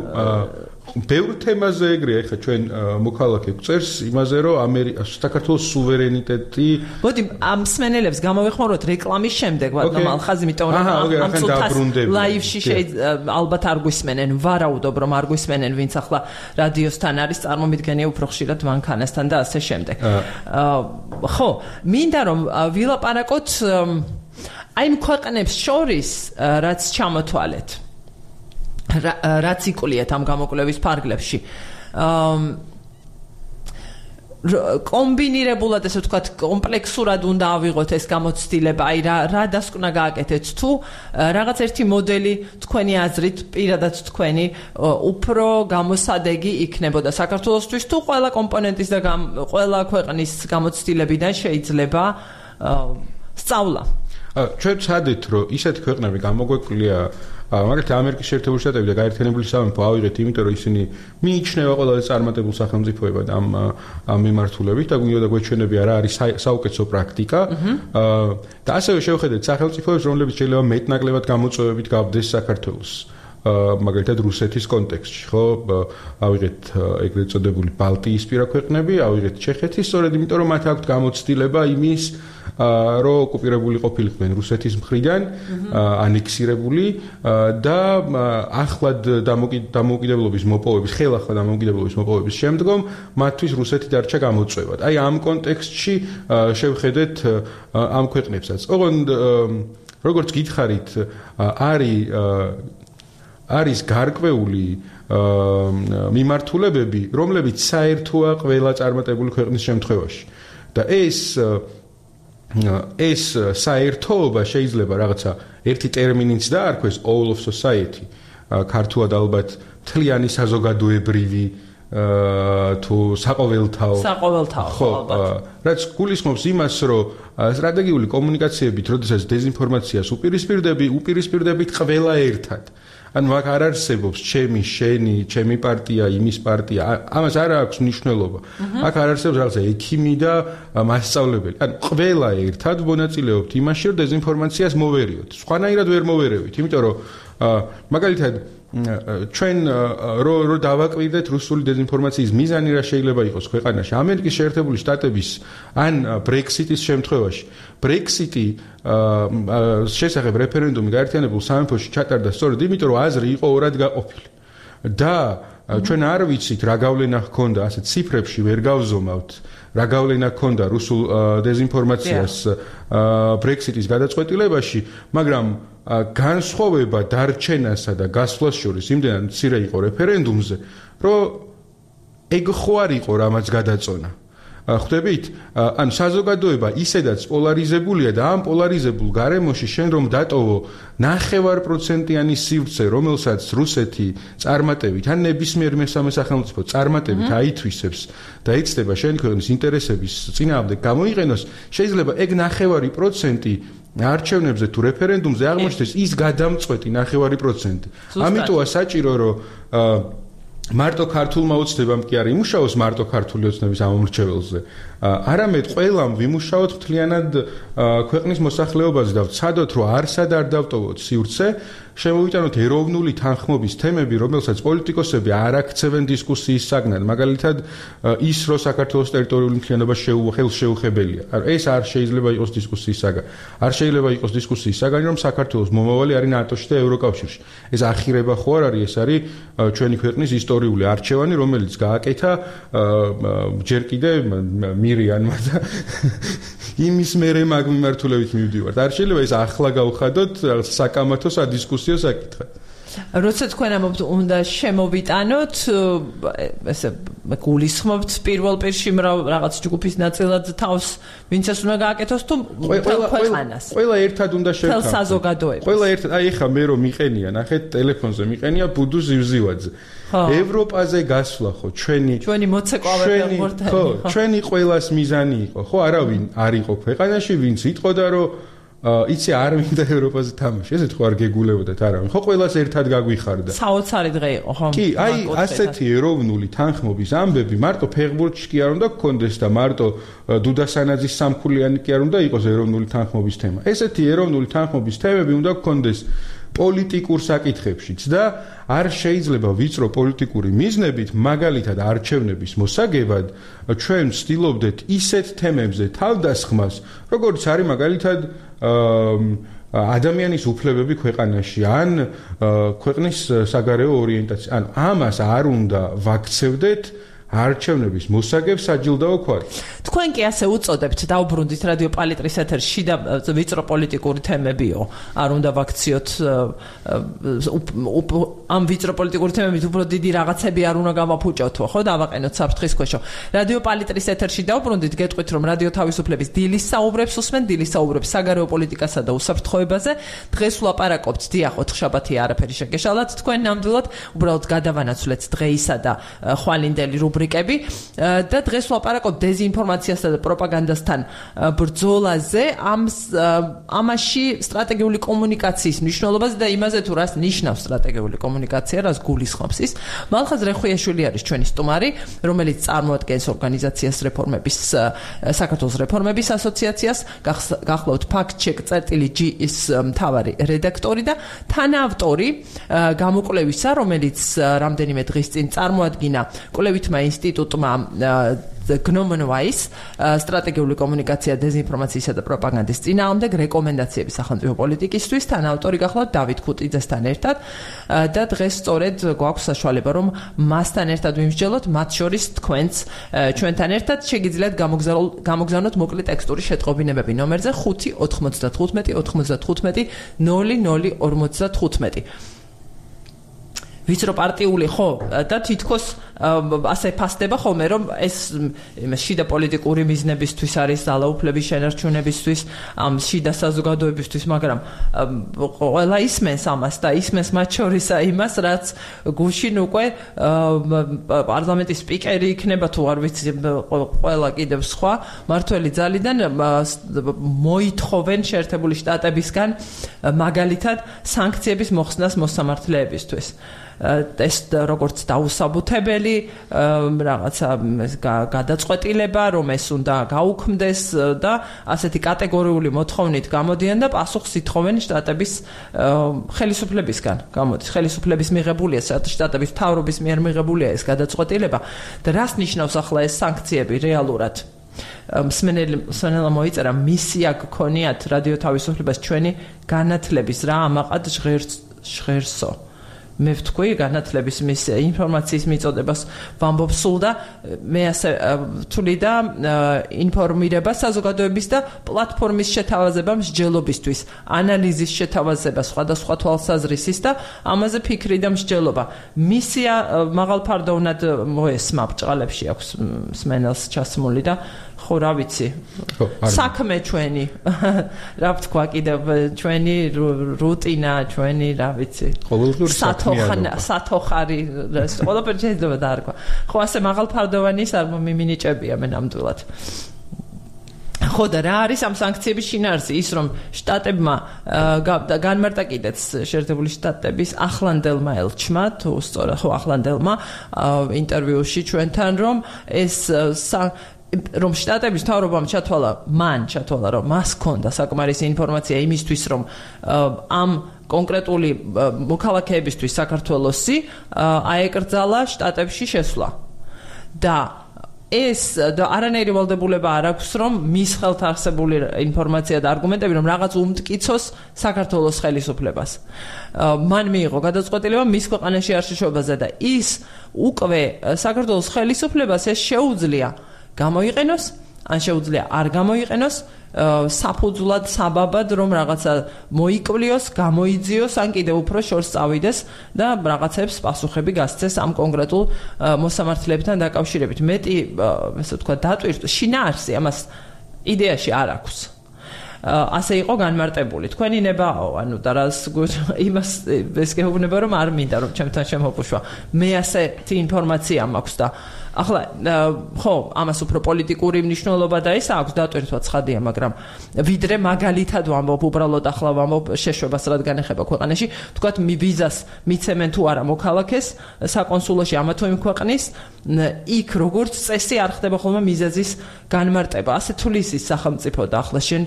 Speaker 2: ბევრ თემაზე ეგრეა, ეხლა ჩვენ მოქალაქე გვწერს იმაზე, რომ საქართველოს სუვერენიტეტი.
Speaker 1: მოდი, ამ მსმენელებს გამოვეხმაროთ რეკლამის შემდეგ, ვადგომ ალხაზი, იმიტომ რომ ამ წუთას ლაივში ალბათ არ გვისმენენ, ვარაუდობ რომ არ გვისმენენ, ვინც ახლა რადიოსთან არის, წარმომიდგენია უფრო ხშირად მანქანასთან და ასე შემდეგ. ხო, მინდა რომ ვილაპარაკოთ აი იმ ქვეყნებს შორის, რაც ჩამოთვალეთ. რაც იკულიათ ამ გამოკვლევის ფარგლებში. კომბინირებულად ესე ვთქვათ, კომპლექსურად უნდა ავიღოთ ეს გამოცდილება, აი რა რა დასკვნა გააკეთეთ თუ რაღაც ერთი მოდელი თქვენი აზრით, პირადად თქვენი უფრო გამოსადეგი იქნებოდა საქართველოსთვის თუ ყველა კომპონენტის და ყველა ქვეყნის გამოცდილებიდან შეიძლება სწავლა.
Speaker 2: ჩვენ ვცადეთ, რომ ისეთი ქვეყნები გამოგვეკლია მაგალითად ამერიკის შეერთებული შტატები და გაერთიანებული სამეფო ავიღეთ, იმიტომ რომ ისინი მიიჩნევა ყველაზე წარმატებულ სახელმწიფოებად ამ ამ მიმართულებით და გვინდა გვეჩვენებია რა არის საუკეთესო პრაქტიკა. და ასევე შევხედეთ სახელმწიფოებს, რომლებიც შეიძლება მეტნაკლებად გამოწვევებით გავდეს საქართველოს. მაგალითად რუსეთის კონტექსტში, ხო, ავიღეთ ეგრეთ წოდებული ბალტიისპირა ქვეყნები, ავიღეთ ჩეხეთი, სწორედ იმიტომ რომ მათ აქვთ გამოცდილება იმის რომ ოკუპირებული ყოფილიყვნენ რუსეთის მხრიდან, ანექსირებული და ახლად დამოუკიდებლობის მოპოვების, ხელახლა დამოუკიდებლობის მოპოვების შემდგომ მათთვის რუსეთი დარჩა გამოწვევად. აი ამ კონტექსტში შევხედეთ ამ ქვეყნებსაც. ოღონდ როგორც გითხარით, არის არის გარკვეული მიმართულებები, რომლებიც საერთოა ყველა წარმატებული ქვეყნის შემთხვევაში. და ეს ეს საერთოობა შეიძლება რაღაცა ერთი ტერმინიც დაარქვეს all of society. ქართულად ალბათ მთლიანი საზოგადოებრივი თუ საყოველთაო
Speaker 1: საყოველთაო
Speaker 2: ალბათ. რაც გულისხმობს იმას, რომ სტრატეგიული კომუნიკაციებით, როდესაც დეზინფორმაციას უპირისპირდები, უპირისპირდებით ყველა ერთად. ანუ აქ არ არსებობს ჩემი, შენი, ჩემი პარტია, იმის პარტია. ამას არ აქვს მნიშვნელობა. აქ არ არსებობს რაღაცა ექიმი და მასწავლებელი. ანუ ყველა ერთად მონაწილეობთ იმაში, რომ დეზინფორმაციას მოვერიოთ. სხვანაირად ვერ მოვერევით, იმიტომ რომ მაგალითად ჩვენ რო რო დავაკვირდეთ რუსული დეზინფორმაციის მიზანი რა შეიძლება იყოს ქვეყანაში ამერიკის შეერთებული შტატების ან ბრექსიტის შემთხვევაში ბრექსიტი შესახებ რეფერენდუმი გაერთიანებულ სამეფოში ჩატარდა სწორედ იმიტომ რომ აზრი იყო ორად გაყოფილი და ჩვენ არ ვიცით რა გავლენა ჰქონდა ასე ციფრებში ვერ გავზომავთ რა გავლენა ჰქონდა რუსულ დეზინფორმაციას ბრექსიტის გადაწყვეტილებაში მაგრამ განსხვავება დარჩენასა და გასვლას შორის იმდენად მცირე იყო რეფერენდუმზე, რომ ეგ ხო არ იყო რამაც გადაწონა. ხვდებით? ან საზოგადოება ისედაც პოლარიზებულია და ამ პოლარიზებულ გარემოში შენ რომ დატოვო ნახევარ პროცენტიანი სივრცე, რომელსაც რუსეთი წარმატებით ან ნებისმიერ მესამე სახელმწიფო წარმატებით აითვისებს და იცდება შენი ქვეყნის ინტერესების წინააღმდეგ გამოიყენოს, შეიძლება ეგ ნახევარი პროცენტი არჩევნებზე თუ რეფერენდუმზე აღმოჩნდეს ის გადამწყვეტი ნახევარი პროცენტი. ამიტომა საჭირო რომ მარტო ქართულმა ოცნებამ კი არ იმუშაოს მარტო ქართული ოცნების ამომრჩეველზე. არამედ ყველამ ვიმუშაოთ მთლიანად ქვეყნის მოსახლეობაზე და ვცადოთ რომ არსად არ დავტოვოთ სივრცე, შემოვიტანოთ ეროვნული თანხმობის თემები, რომელსაც პოლიტიკოსები არ აქცევენ დისკუსიის საგნად. მაგალითად, ის რომ საქართველოს ტერიტორიული მთლიანობა ხელშეუხებელია. ეს არ შეიძლება იყოს დისკუსიის საგანი. არ შეიძლება იყოს დისკუსიის საგანი, რომ საქართველოს მომავალი არის ნატოში და ევროკავშირში. ეს ახირება ხო არ არის, ეს არის ჩვენი ქვეყნის ისტორიული არჩევანი, რომელიც გააკეთა ჯერ კიდე მირიანმა და იმის მერე მაგ მიმართულებით მივდივართ. არ შეიძლება ეს ახლა გავხადოთ საკამათო სადისკუსიო საკითხად.
Speaker 1: როცა თქვენ ამბობთ უნდა შემოვიტანოთ, ესე გულისხმობთ პირველ პირში რაღაც ჯგუფის ნაწილად თავს, ვინც ეს უნდა გააკეთოს თუ ქვეყანას.
Speaker 2: ყველა ერთად უნდა შევქავთ.
Speaker 1: თელ საზოგადოებას.
Speaker 2: ყველა ერთად, აი ეხა მე რომ მიყენია, ნახეთ ტელეფონზე მიყენია ბუდუ ზივზივაძე. ევროპაზე გასვლა ხო ჩვენი
Speaker 1: ჩვენი მოცეკვავები ვართ.
Speaker 2: ხო, ჩვენი ყველას მიზანი იყო. ხო, არავინ არ იყო ქვეყანაში, ვინც იტყოდა რომ იცი არ მინდა ევროპაზე თამაში. ესეთ ხო არ გეგულებოდათ არავინ. ხო ყველას ერთად გაგვიხარდა.
Speaker 1: საოცარი დღე იყო, ხო?
Speaker 2: კი, აი ასეთი ეროვნული თანხმობის ამბები მარტო ფეხბურთში კი არ უნდა გქონდეს და მარტო დუდა სანაძის სამქულიანი კი არ უნდა იყოს ეროვნული თანხმობის თემა. ესეთი ეროვნული თანხმობის თემები უნდა გქონდეს პოლიტიკურ საკითხებშიც და არ შეიძლება ვიწრო პოლიტიკური მიზნებით მაგალითად არჩევნების მოსაგებად ჩვენ ვცდილობდეთ ისეთ თემებზე თავდასხმას, როგორც არის მაგალითად ადამიანის უფლებები ქვეყანაში ან ქვეყნის საგარეო ორიენტაცია. ანუ ამას არ უნდა ვაქცევდეთ არჩევნების მოსაგებ საჯილდაო ქვად.
Speaker 1: თქვენ კი ასე უწოდებთ დაუბრუნდით რადიო პალიტრის ეთერში შიდა ვიწრო პოლიტიკური თემებიო. არ უნდა ვაქციოთ ამ ვიწრო პოლიტიკური თემებით უფრო დიდი რაღაცები არ უნდა გავაფუჭოთო, ხო, დავაყენოთ საფრთხის ქვეშო. რადიო პალიტრის ეთერში დაუბრუნდით, გეტყვით რომ რადიო თავისუფლების დილის საუბრებს უსმენ, დილის საუბრებს საგარეო პოლიტიკასა და უსაფრთხოებაზე. დღეს ვლაპარაკობთ, დიახ, ოთხშაბათი არაფერი შეგეშალათ თქვენ ნამდვილად, უბრალოდ გადავანაცვლეთ დღეისა და ხვალინდელი რუბრიკები და დღეს ვლაპარაკობთ დეზინფორმაციასა და პროპაგანდასთან ბრძოლაზე, ამ ამაში სტრატეგიული კომუნიკაციის მნიშვნელობაზე და იმაზე თუ რას ნიშნავს სტრატეგიული კომუნიკაცია, რას გულისხმობს ის. მალხაზ რეხვიაშვილი არის ჩვენი სტუმარი, რომელიც წარმოადგენს ორგანიზაციას რეფორმების საქართველოს რეფორმების ასოციაციას, გახლავთ fact-check.gis მთავარი რედაქტორი და თანაავტორი გამოკვლევისა, რომელიც რამდენიმე დღის წინ წარმოადგინა კვლევითმა ინსტიტუტმა Gnomon Weiss სტრატეგიული კომუნიკაცია დეზინფორმაციისა და პროპაგანდის წინააღმდეგ რეკომენდაციები სახელმწიფო პოლიტიკისთვის თან ავტორი გახლავთ დავით ქუტიძესთან ერთად და დღეს სწორედ გვაქვს საშუალება რომ მასთან ერთად ვიმსჯელოთ მათ შორის თქვენც ჩვენთან ერთად შეგიძლიათ გამოგზავნოთ მოკლე ტექსტური შეტყობინებები ნომერზე ხუთი ოთხმოცდათხუთმეტი ოთხმოცდათხუთმეტი ნული ნული ორმოცდათხუთმეტი ვიწრო პარტიული ხო და თითქოს ასე ფასდება ხოლმე რომ ეს შიდა პოლიტიკური მიზნებისთვის არის ძალაუფლების შენარჩუნებისთვის ამ შიდა საზოგადოებისთვის მაგრამ ყველა ისმენს ამას და ისმენს მათ შორისა იმას რაც გუშინ უკვე პარლამენტის სპიკერი იქნება თუ არ ვიცი ყველა კიდევ სხვა მართველი ძალიდან მოითხოვენ შეერთებული შტატებისგან მაგალითად სანქციების მოხსნას მოსამართლეებისთვის ეს როგორც დაუსაბუთებელი რაღაცა გადაწყვეტილება რომ ეს უნდა გაუქმდეს და ასეთი კატეგორიული მოთხოვნით გამოდიან და პასუხს ითხოვენ შტატების ხელისუფლებისგან გამოდის ხელისუფლების მიღებულია შტატების მთავრობის მიერ მიღებულია ეს გადაწყვეტილება და რას ნიშნავს ახლა ეს სანქციები რეალურად მსმენელმა მოიწერა მისია გქონიათ რადიო თავისუფლებას ჩვენი განათლების რა ამაყად ჟღერსო მე ვთქვი განათლების მისია ინფორმაციის მიწოდებას ვამბობ სულ და მე ასე ვთვლი და ინფორმირება საზოგადოების და პლატფორმის შეთავაზება მსჯელობისთვის ანალიზის შეთავაზება სხვადასხვა თვალსაზრისის და ამაზე ფიქრი და მსჯელობა მისია მაღალფარდოვნად მოესმა ბრჭყალებში აქვს მსმენელს ჩასმული და ხო რა ვიცი საქმე ჩვენი რა ვთქვა კიდევ ჩვენი რუტინა ჩვენი რა ვიცი
Speaker 2: ყოველდღიური საქმეა
Speaker 1: სათოხარი ყველაფერი შეიძლება დაარქვა ხო ასე მაღალფარდოვანის არ მიმინიჭებია მე ნამდვილად ხო და რა არის ამ სანქციების შინაარსი ის რომ შტატებმა განმარტა კიდეც შეერთებული შტატების ახლანდელმა ელჩმა თუ სწორად ხო ახლანდელმა ინტერვიუში ჩვენთან რომ ეს რომ შტატების მთავრობამ ჩათვალა მან ჩათვალა რომ მას ჰქონდა საკმარისი ინფორმაცია იმისთვის რომ ამ კონკრეტული მოქალაქეებისთვის საქართველოსი აეკრძალა შტატებში შესვლა და ეს არანაირი ვალდებულება არ აქვს რომ მის ხელთ არსებული ინფორმაცია და არგუმენტები რომ რაღაც უმტკიცოს საქართველოს ხელისუფლებას მან მიიღო გადაწყვეტილება მის ქვეყანაში არ შეშვებაზე და ის უკვე საქართველოს ხელისუფლებას ეს შეუძლია გამოიყენოს ან შეუძლია არ გამოიყენოს საფუძვლად საბაბად რომ რაღაცა მოიკვლიოს, გამოიძიოს ან კიდევ უფრო შორს წავიდეს და რაღაცებს პასუხები გასცეს ამ კონკრეტულ მოსამართლეებთან დაკავშირებით. მეტი ესე ვთქვა დატვირთვა შინაარსი ამას იდეაში არ აქვს. ასე იყო განმარტებული. თქვენი ნებაო, ანუ და რას იმას ეს გეუბნება რომ არ მინდა რომ ჩემთან შემოფუშვა. მე ასეთი ინფორმაცია მაქვს და ახლა ხო, ამას უფრო პოლიტიკური მნიშვნელობა და ის აქვს დატვირთვა ცხადია, მაგრამ ვიდრე მაგალითად ვამბობ, უბრალოდ ახლა ვამბობ შეშვებას რადგან ეხება ქვეყანაში, თქვათ ვიზას მიცემენ თუ არა მოქალაქეს საკონსულოში ამა თუ იმ ქვეყნის, იქ როგორც წესი არ ხდება ხოლმე მიზეზის განმარტება. ასე თulis ის სახელმწიფო და ახლა შენ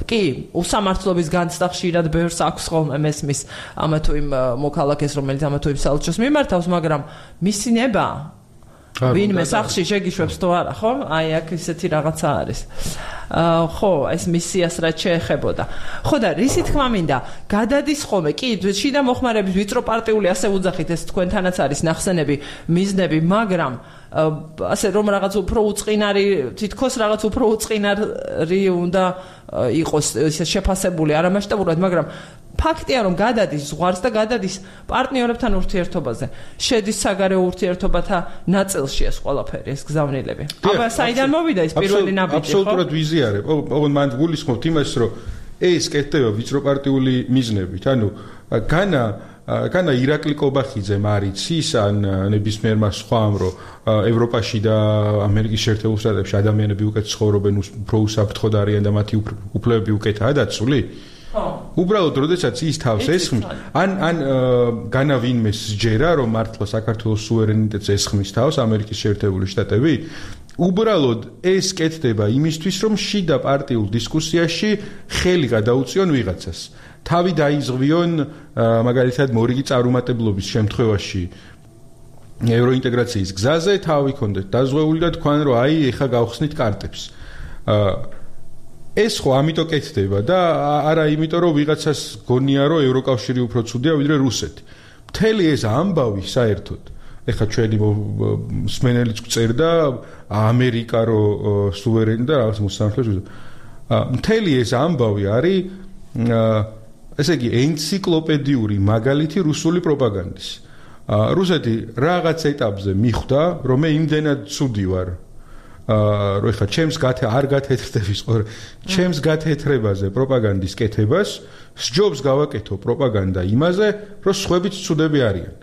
Speaker 1: კი, უსამართლობის განცდა ხშირად ბევრს აქვს ხოლმე მესმის ამა თუ იმ მოქალაქეს, რომელიც ამა თუ იმ საელჩოს მიმართავს, მაგრამ მისი ნება ვინმე სახში შეგიშვებს თუ არა, ხო? აი აქ ისეთი რაღაცა არის. აა ხო, ეს მისიას რაც შეეხებოდა. ხო და რისი თქმა მინდა, გადადის ხოლმე, კი, შიდა მოხმარების ვიწრო პარტიული ასე უძახით, ეს თქვენთანაც არის ნახსენები, მიზნები, მაგრამ ასე რომ რაღაც უფრო უწყინარი, თითქოს რაღაც უფრო უწყინარი უნდა იყოს შეფასებული არამასშტაბურად, მაგრამ ფაქტია რომ გადადის ზღვარს და გადადის პარტნიორებთან ურთიერთობაზე. შედის საგარეო ურთიერთობათა ნაწილში ეს ყველაფერი, ეს გზავნილები. აბა საიდან მოვიდა ეს პირველი ნაბიჯი, ხო?
Speaker 2: აბსოლუტურად ვიზიარებ. ოღონდ მან გულისხმობთ იმას, რომ ეს კეთდება ვიწრო პარტიული მიზნებით. ანუ განა განა ირაკლი კობახიძემ არის ის ან ნებისმიერმა სხვამ რომ ევროპაში და ამერიკის შეერთებულ შტატებში ადამიანები უკეთ ცხოვრობენ, უფრო უსაფრთხოდ არიან და მათი უფლებები უკეთაა დაცული? უბრალოდ როდესაც ის თავს ესხმის ან ან განა ვინმე სჯერა რომ მართლა საქართველოს სუვერენიტეტს ესხმის თავს ამერიკის შეერთებული შტატები უბრალოდ ეს კეთდება იმისთვის რომ შიდა პარტიულ დისკუსიაში ხელი გადაუწიონ ვიღაცას თავი დაიზღვიონ მაგალითად მორიგი წარუმატებლობის შემთხვევაში ევროინტეგრაციის გზაზე თავი ქონდეთ დაზღვეული და თქვენ რომ აი ეხა გავხსნით კარტებს. ეს ხო ამიტომ კეთდება და არა იმიტომ რომ ვიღაცას გონია რომ ევროკავშირი უფრო ცუდია ვიდრე რუსეთი. მთელი ეს ამბავი საერთოდ ეხა ჩვენი მსმენელიც წერდა ამერიკა რო სუვერენი და რაღაც მოსამართლეებს. მთელი ეს ამბავი არის ესე იგი ენციკლოპედიური მაგალითი რუსული პროპაგანდის. რუსეთი რაღაც ეტაპზე მიხვდა რომ მე იმდენად ცუდი ვარ რომ ეხა ჩემს გათე არ გათეთრდების ყო ჩემს გათეთრებაზე პროპაგანდის კეთებას სჯობს გავაკეთო პროპაგანდა იმაზე რომ სხვებიც ცუდები არიან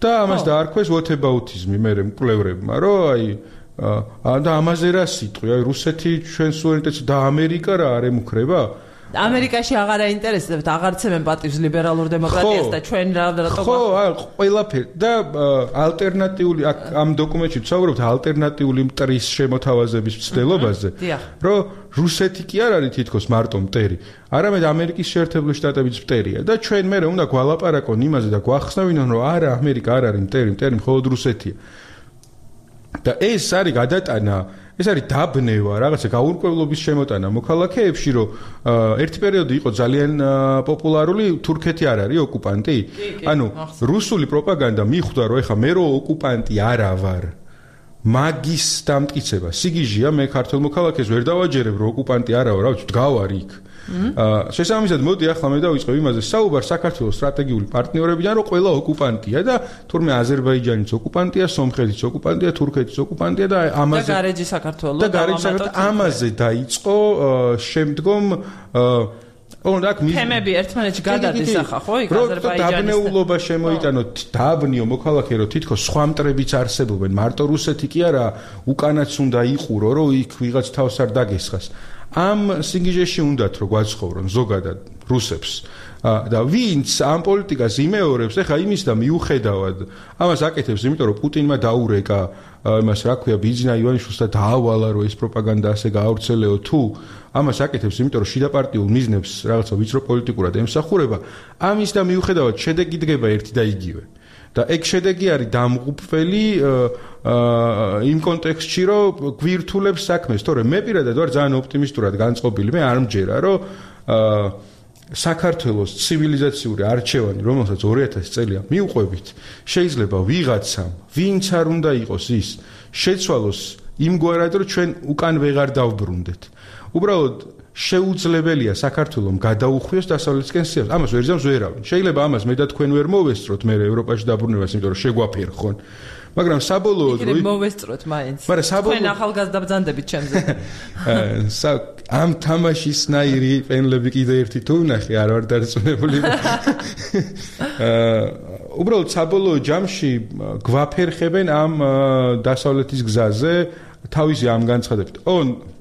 Speaker 2: და ამას დაარქვეს whataboutism მე მკვლევრებმა რომ აი და ამაზე რა სიტყვი აი რუსეთი ჩვენ სუვერენიტეტს და ამერიკა რა არ ემუქრება
Speaker 1: ამერიკაში აღარ აინტერესებთ აღარცემენ პატივს ლიბერალურ დემოკრატიას და ჩვენ რა რატომ
Speaker 2: ხო ყველაფერი და ალტერნატიული ამ დოკუმენტში ვცხოვრობთ ალტერნატიული მტრის შემოთავაზების მცდელობაზე რომ რუსეთი კი არ არის თითქოს მარტო მტერი არამედ ამერიკის შეერთებული შტატებიც მტერია და ჩვენ მე უნდა გვალაპარაკონ იმაზე და გვახსნავინონ რომ არა ამერიკა არ არის მტერი მტერი მხოლოდ რუსეთია და ეს არის გადატანა ეს არის დაბნევა, რაღაცა გაურკვევლობის შემოტანა მოქალაქეებში, რომ ერთი პერიოდი იყო ძალიან პოპულარული თურქეთი არ არის ოკუპანტი. ანუ რუსული პროპაგანდა მიხვდა, რომ ეხა მე რო ოკუპანტი არა ვარ. მაგის დამტკიცება. სიგიჟია მე ქართულ მოქალაქეს ვერ დავაჯერებ, რომ ოკუპანტი არა ვარ, რა ვიცი, დგავარ იქ. შესაბამისად მოდი ახლა მე დავიწყებ იმაზე საუბარ საქართველოს სტრატეგიული პარტნიორებიდან რომ ყველა ოკუპანტია და თურმე აზერბაიჯანიც ოკუპანტია, სომხეთიც ოკუპანტია, თურქეთიც ოკუპანტია და ამაზე
Speaker 1: და გარეჯი საქართველოს
Speaker 2: და გარეჯი საქართველოს ამაზე დაიწყო შემდგომ ოღონდ აქ მის
Speaker 1: თემები ერთმანეთში გადადის ახლა ხო იქ აზერბაიჯანის
Speaker 2: დაბნეულობა შემოიტანოთ დაბნიო მოქალაქე რომ თითქოს სხვა მტრებიც არსებობენ მარტო რუსეთი კი არა უკანაც უნდა იყურო რომ იქ ვიღაც თავს არ დაგესხას ამ სიგიჟეში უნდათ რომ გვაცხოვრონ ზოგადად რუსებს და ვინც ამ პოლიტიკას იმეორებს ეხა იმის და მიუხედავად ამას აკეთებს იმიტომ რომ პუტინმა დაურეკა იმას რა ქვია ბიძინა ივანიშვილს და დაავალა რომ ეს პროპაგანდა ასე გაავრცელეო თუ ამას აკეთებს იმიტომ რომ შიდა პარტიულ მიზნებს რაღაცა ვიწრო პოლიტიკურად ემსახურება ამის და მიუხედავად შედეგი დგება ერთი და იგივე და ეგ შედეგი არის დამღუპველი იმ კონტექსტში რომ გვირთულებს საქმეს თორე მე პირადად ვარ ძალიან ოპტიმისტურად განწყობილი მე არ მჯერა რომ საქართველოს ცივილიზაციური არჩევანი რომელსაც ორი ათასი წელია მიუყვებით შეიძლება ვიღაცამ ვინც არ უნდა იყოს ის შეცვალოს იმგვარად რომ ჩვენ უკან ვეღარ დავბრუნდეთ უბრალოდ შეუძლებელია საქართველოს გადაუხვიოს დასავლეთისკენ სიას. ამას ვერ ზამს ვერავინ. შეიძლება ამას მე და თქვენ ვერ მოვესწროთ მე ევროპაში დაბრუნებას, იმიტომ რომ შეგვაფერხონ. მაგრამ საბოლოოდ
Speaker 1: რო მოვესწროთ მაინც.
Speaker 2: მაგრამ საბოლოოდ
Speaker 1: თქვენ ახალგაზრდა ბრძანდებით ჩემზე.
Speaker 2: ამ თამაშის ნაირი პენლები კიდე ერთი თუ ვნახე, არ ვარ დარწმუნებული. უბრალოდ საბოლოო ჯამში გვაფერხებენ ამ დასავლეთის გზაზე თავისი ამ განცხადებით. ონ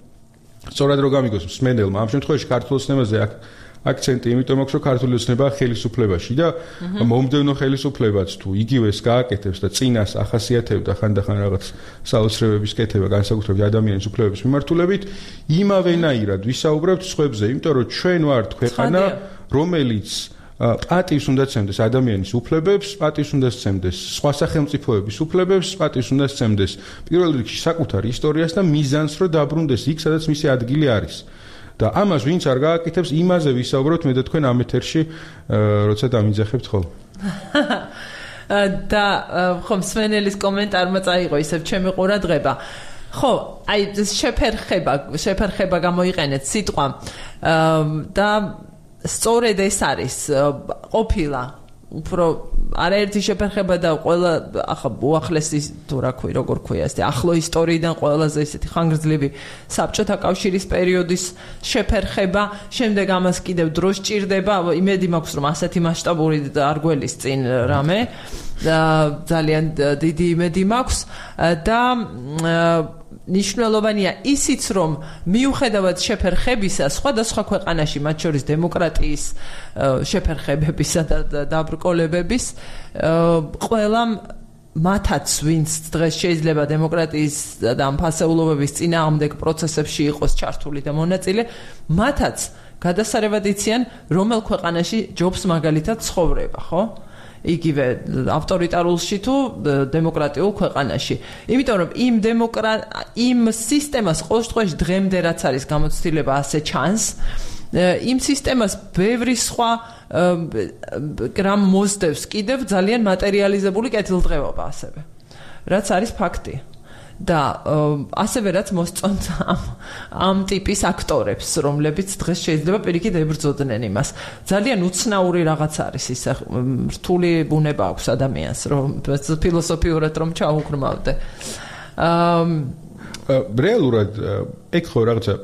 Speaker 2: სწორად რო გამიგოს მსმენელმა ამ შემთხვევაში ქართულ ოცნებაზე აქ აქცენტი იმიტომ აქვს რომ ქართული ოცნება ხელისუფლებაში და მომდევნო ხელისუფლებაც თუ იგივეს გააკეთებს და წინას ახასიათებდა ხანდახან რაღაც საოცრებების კეთება განსაკუთრებით ადამიანის უფლებების მიმართულებით იმავენაირად ვისაუბრებთ სხვებზე იმიტომ რომ ჩვენ ვართ ქვეყანა რომელიც პატივს უნდა სცემდეს ადამიანის უფლებებს, პატივს უნდა სცემდეს სხვა სახელმწიფოების უფლებებს, პატივს უნდა სცემდეს პირველ რიგში საკუთარ ისტორიას და მიზანს, რომ დაბრუნდეს იქ, სადაც მისი ადგილი არის. და ამას ვინც არ გააკეთებს, იმაზე ვისაუბროთ მე და თქვენ ამ ეთერში, როცა დამიძახებთ ხოლმე.
Speaker 1: და ხომ მსმენელის კომენტარმა წაიღო ისევ ჩემი ყურადღება. ხო, აი შეფერხება, შეფერხება გამოიყენეთ სიტყვა და სწორედ ეს არის ყოფილა უფრო არაერთი შეფერხება და ყველა ახლა უახლესი თუ რა ქვია როგორ ქვია ეს ახლო ისტორიიდან ყველაზე ისეთი ხანგრძლივი საბჭოთა კავშირის პერიოდის შეფერხება შემდეგ ამას კიდევ დრო სჭირდება იმედი მაქვს რომ ასეთი მასშტაბური არ გველის წინ რამე ძალიან დიდი იმედი მაქვს და ნიშნულოვანია ისიც რომ მიუხედავად შეფერხებისა სხვადასხვა ქვეყანაში მათ შორის დემოკრატიის შეფერხებებისა და დაბრკოლებების ყველა მათაც ვინც დღეს შეიძლება დემოკრატიის და ამ ფასეულობების წინააღმდეგ პროცესებში იყოს ჩართული და მონაწილე მათაც გადასარევად იციან რომელ ქვეყანაში ჯობს მაგალითად ცხოვრება ხო იგივე ავტორიტარულში თუ დემოკრატიულ ქვეყანაში. იმიტომ რომ იმ დემოკრატ იმ სისტემას ყოველ შემთხვევაში დღემდე რაც არის გამოცდილება ასე ჩანს, იმ სისტემას ბევრი სხვა გრამ მოსდევს კიდევ ძალიან მატერიალიზებული კეთილდღეობა ასევე. რაც არის ფაქტი. და ასევე რაც მოსწონთ ამ ამ ტიპის აქტორებს, რომლებიც დღეს შეიძლება პირიქით ებრძოდნენ იმას. ძალიან უცნაური რაღაც არის ის რთული ბუნება აქვს ადამიანს, რომ ფილოსოფიურად რომ ჩაუღრმავდე.
Speaker 2: რეალურად ეგ ხო რაღაცა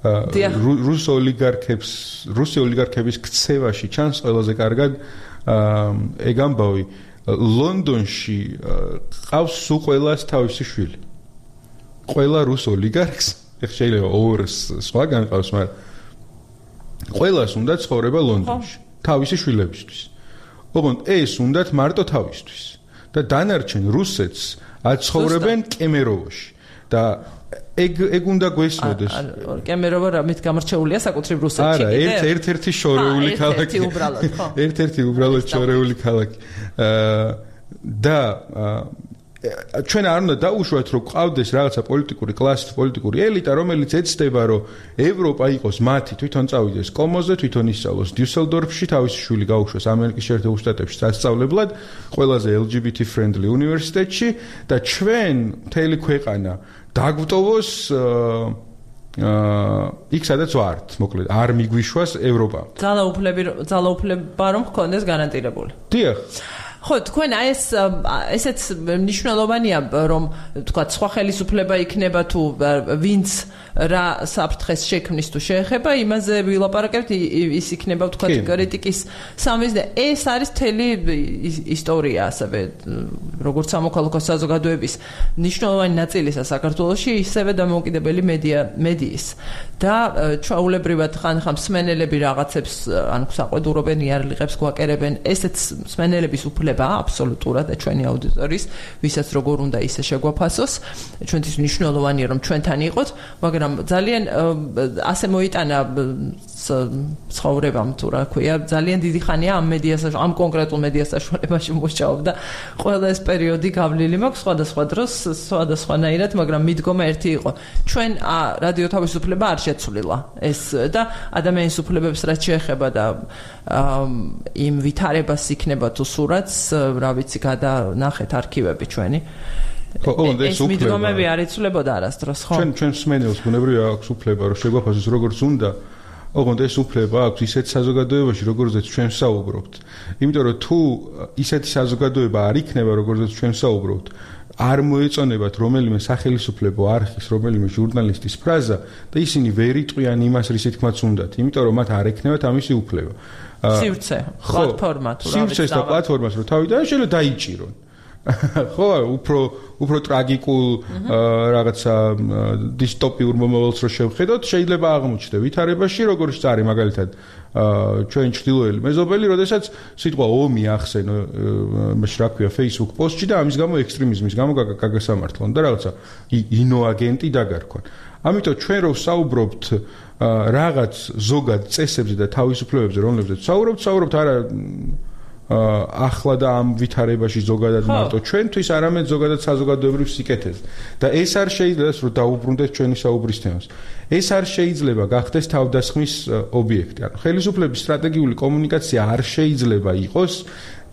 Speaker 2: რუს ოლიგარქებს, რუსი ოლიგარქების ქცევაში ჩანს ყველაზე კარგად ეგ ამბავი. ლონდონში ყავს სულ ყველას თავისი შვილი. ყველა რუს ოლიგარქს, ეხლა შეიძლება ორ სხვაგან ყავს, მაგრამ ყველას უნდა ცხოვრება ლონდონში, თავისი შვილებისთვის. ოღონდ ეს უნდათ მარტო თავისთვის. და დანარჩენ რუსეთს აცხოვრებენ კემეროვოში. და ეგ ეგ უნდა გვესმოდეს.
Speaker 1: კემეროვა რამით გამორჩეულია საკუთრივ რუსეთში.
Speaker 2: არა, ერთ ერთ-ერთი შორეული ქალაქი.
Speaker 1: ერთ-ერთი უბრალოდ, ხო.
Speaker 2: ერთ-ერთი უბრალოდ შორეული ქალაქი. და ჩვენ არ უნდა დაუშვათ, რომ ყავდეს რაღაცა პოლიტიკური კლასი, პოლიტიკური ელიტა, რომელიც ეცდება, რომ ევროპა იყოს მათი, თვითონ წავიდეს კომოზე, თვითონ ისწავლოს დიუსელდორფში, თავისი შვილი გაუშვეს ამერიკის შეერთებულ შტატებში სასწავლებლად, ყველაზე ელ ჯი ბი თი friendly უნივერსიტეტში და ჩვენ მთელი ქვეყანა დაგვტოვოს აა იქ სადაც ვართ, მოკლედ, არ მიგვიშვას ევროპა.
Speaker 1: ძალაუფლები ძალაუფლება რომ ჰქონდეს გარანტირებული.
Speaker 2: დიახ.
Speaker 1: ხო, თქვენ აი ეს ესეც მნიშვნელოვანია, რომ თქვა სხვა ხელისუფლება იქნება თუ ვინც რა საფრთხეს შექმნის თუ შეეხება, იმაზე ვილაპარაკებთ, ის იქნება თქვა კრიტიკის სამის და ეს არის მთელი ისტორია ასევე, როგორც სამოქალაქო საზოგადოების მნიშვნელოვანი ნაწილისა საქართველოში, ისევე დამოუკიდებელი მედია მედიის და ჩვეულებრივად ხან-ხან მსმენელები რაღაცებს ან საყვედურობენ, იარლიღებს გვაკერებენ, ესეც მსმენელების უფლება აბსოლუტურად და ჩვენი აუდიტორიის, ვისაც როგორ უნდა ისე შეგვაფასოს, ჩვენთვის მნიშვნელოვანია რომ ჩვენთან იყოთ, მაგრამ ძალიან ასე მოიტანა ცხოვრებამ თუ რა ქვია, ძალიან დიდი ხანია ამ მედიას ამ კონკრეტულ მედია საშუალებაში მუშაობ და ყველა ეს პერიოდი გავლილი მაქვს სხვადასხვა დროს, სხვადასხვანაირად, მაგრამ მიდგომა ერთი იყო. ჩვენ რადიო თავისუფლება არ შეცვლილა ეს და ადამიანის უფლებებს რაც შეეხება და იმ ვითარებას იქნება თუ სურათს, რა ვიცი, გადანახეთ არქივები ჩვენი.
Speaker 2: ხო, ეს უფლება.
Speaker 1: მიდგომები არ იცვლებოდა არასდროს, ხო?
Speaker 2: ჩვენ ჩვენ მსმენელს ბუნებრივია აქვს უფლება, რომ შეგვაფასოს როგორც უნდა. ოღონდ ეს უფლება აქვს ისეთ საზოგადოებაში, როგორზეც ჩვენ ვსაუბრობთ. იმიტომ რომ თუ ისეთი საზოგადოება არ იქნება, როგორზეც ჩვენ ვსაუბრობთ, არ მოეწონებათ რომელიმე სახელმწიფო არქის, რომელიმე ჟურნალისტის ფრაზა და ისინი ვერ იტყვიან იმას, რის თქმაც უნდათ, იმიტომ რომ მათ არ ექნებათ ამისი უფლება.
Speaker 1: სივრცე, პლატფორმა თუ რა ვიცი.
Speaker 2: სივრცეს და პლატფორმას რომ თავიდან შეიძლება დაიჭირონ. ხო, უფრო უფრო ტრაგიკულ რაღაცა დისტოპიურ მომავალს რო შევხედოთ, შეიძლება აღმოჩნდე ვითარებაში, როგორც წარი მაგალითად ჩვენ ჩრდილოელი მეზობელი, როდესაც სიტყვა ომი ახსენო, მაშ რა ქვია, Facebook პოსტში და ამის გამო ექსტრემიზმის გამო გაგასამართლონ და რაღაცა ინოაგენტი დაგარქვან. ამიტომ ჩვენ რო ვსაუბრობთ რაღაც ზოგად წესებზე და თავისუფლებებზე, რომლებზეც ვსაუბრობთ, ვსაუბრობთ არა ახლა და ამ ვითარებაში ზოგადად მარტო ჩვენთვის, არამედ ზოგადად საზოგადოებრივ სიკეთეზე. და ეს არ შეიძლება რომ დაუბრუნდეთ ჩვენი საუბრის თემას. ეს არ შეიძლება გახდეს თავდასხმის ობიექტი. ანუ ხელისუფლების სტრატეგიული კომუნიკაცია არ შეიძლება იყოს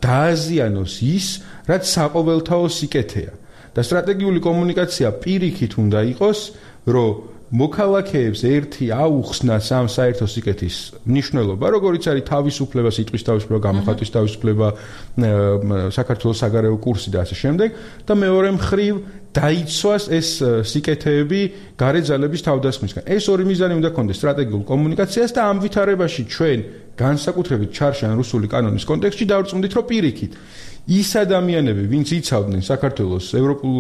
Speaker 2: დააზიანოს ის, რაც საყოველთაო სიკეთეა. და სტრატეგიული კომუნიკაცია პირიქით უნდა იყოს, რომ მოქალაქეებს ერთი აუხსნას ამ საერთო სიკეთის მნიშვნელობა, როგორიც არის თავისუფლება, სიტყვის თავისუფლება, გამოხატვის თავისუფლება, საქართველოს საგარეო კურსი და ასე შემდეგ, და მეორე მხრივ დაიცვას ეს სიკეთეები გარე ძალების თავდასხმისგან. ეს ორი მიზანი უნდა ქონდეს სტრატეგიულ კომუნიკაციას და ამ ვითარებაში ჩვენ განსაკუთრებით ჩარშან რუსული კანონის კონტექსტში დავწუნდით, რომ პირიქით ის ადამიანები, ვინც იცავდნენ საქართველოს ევროპულ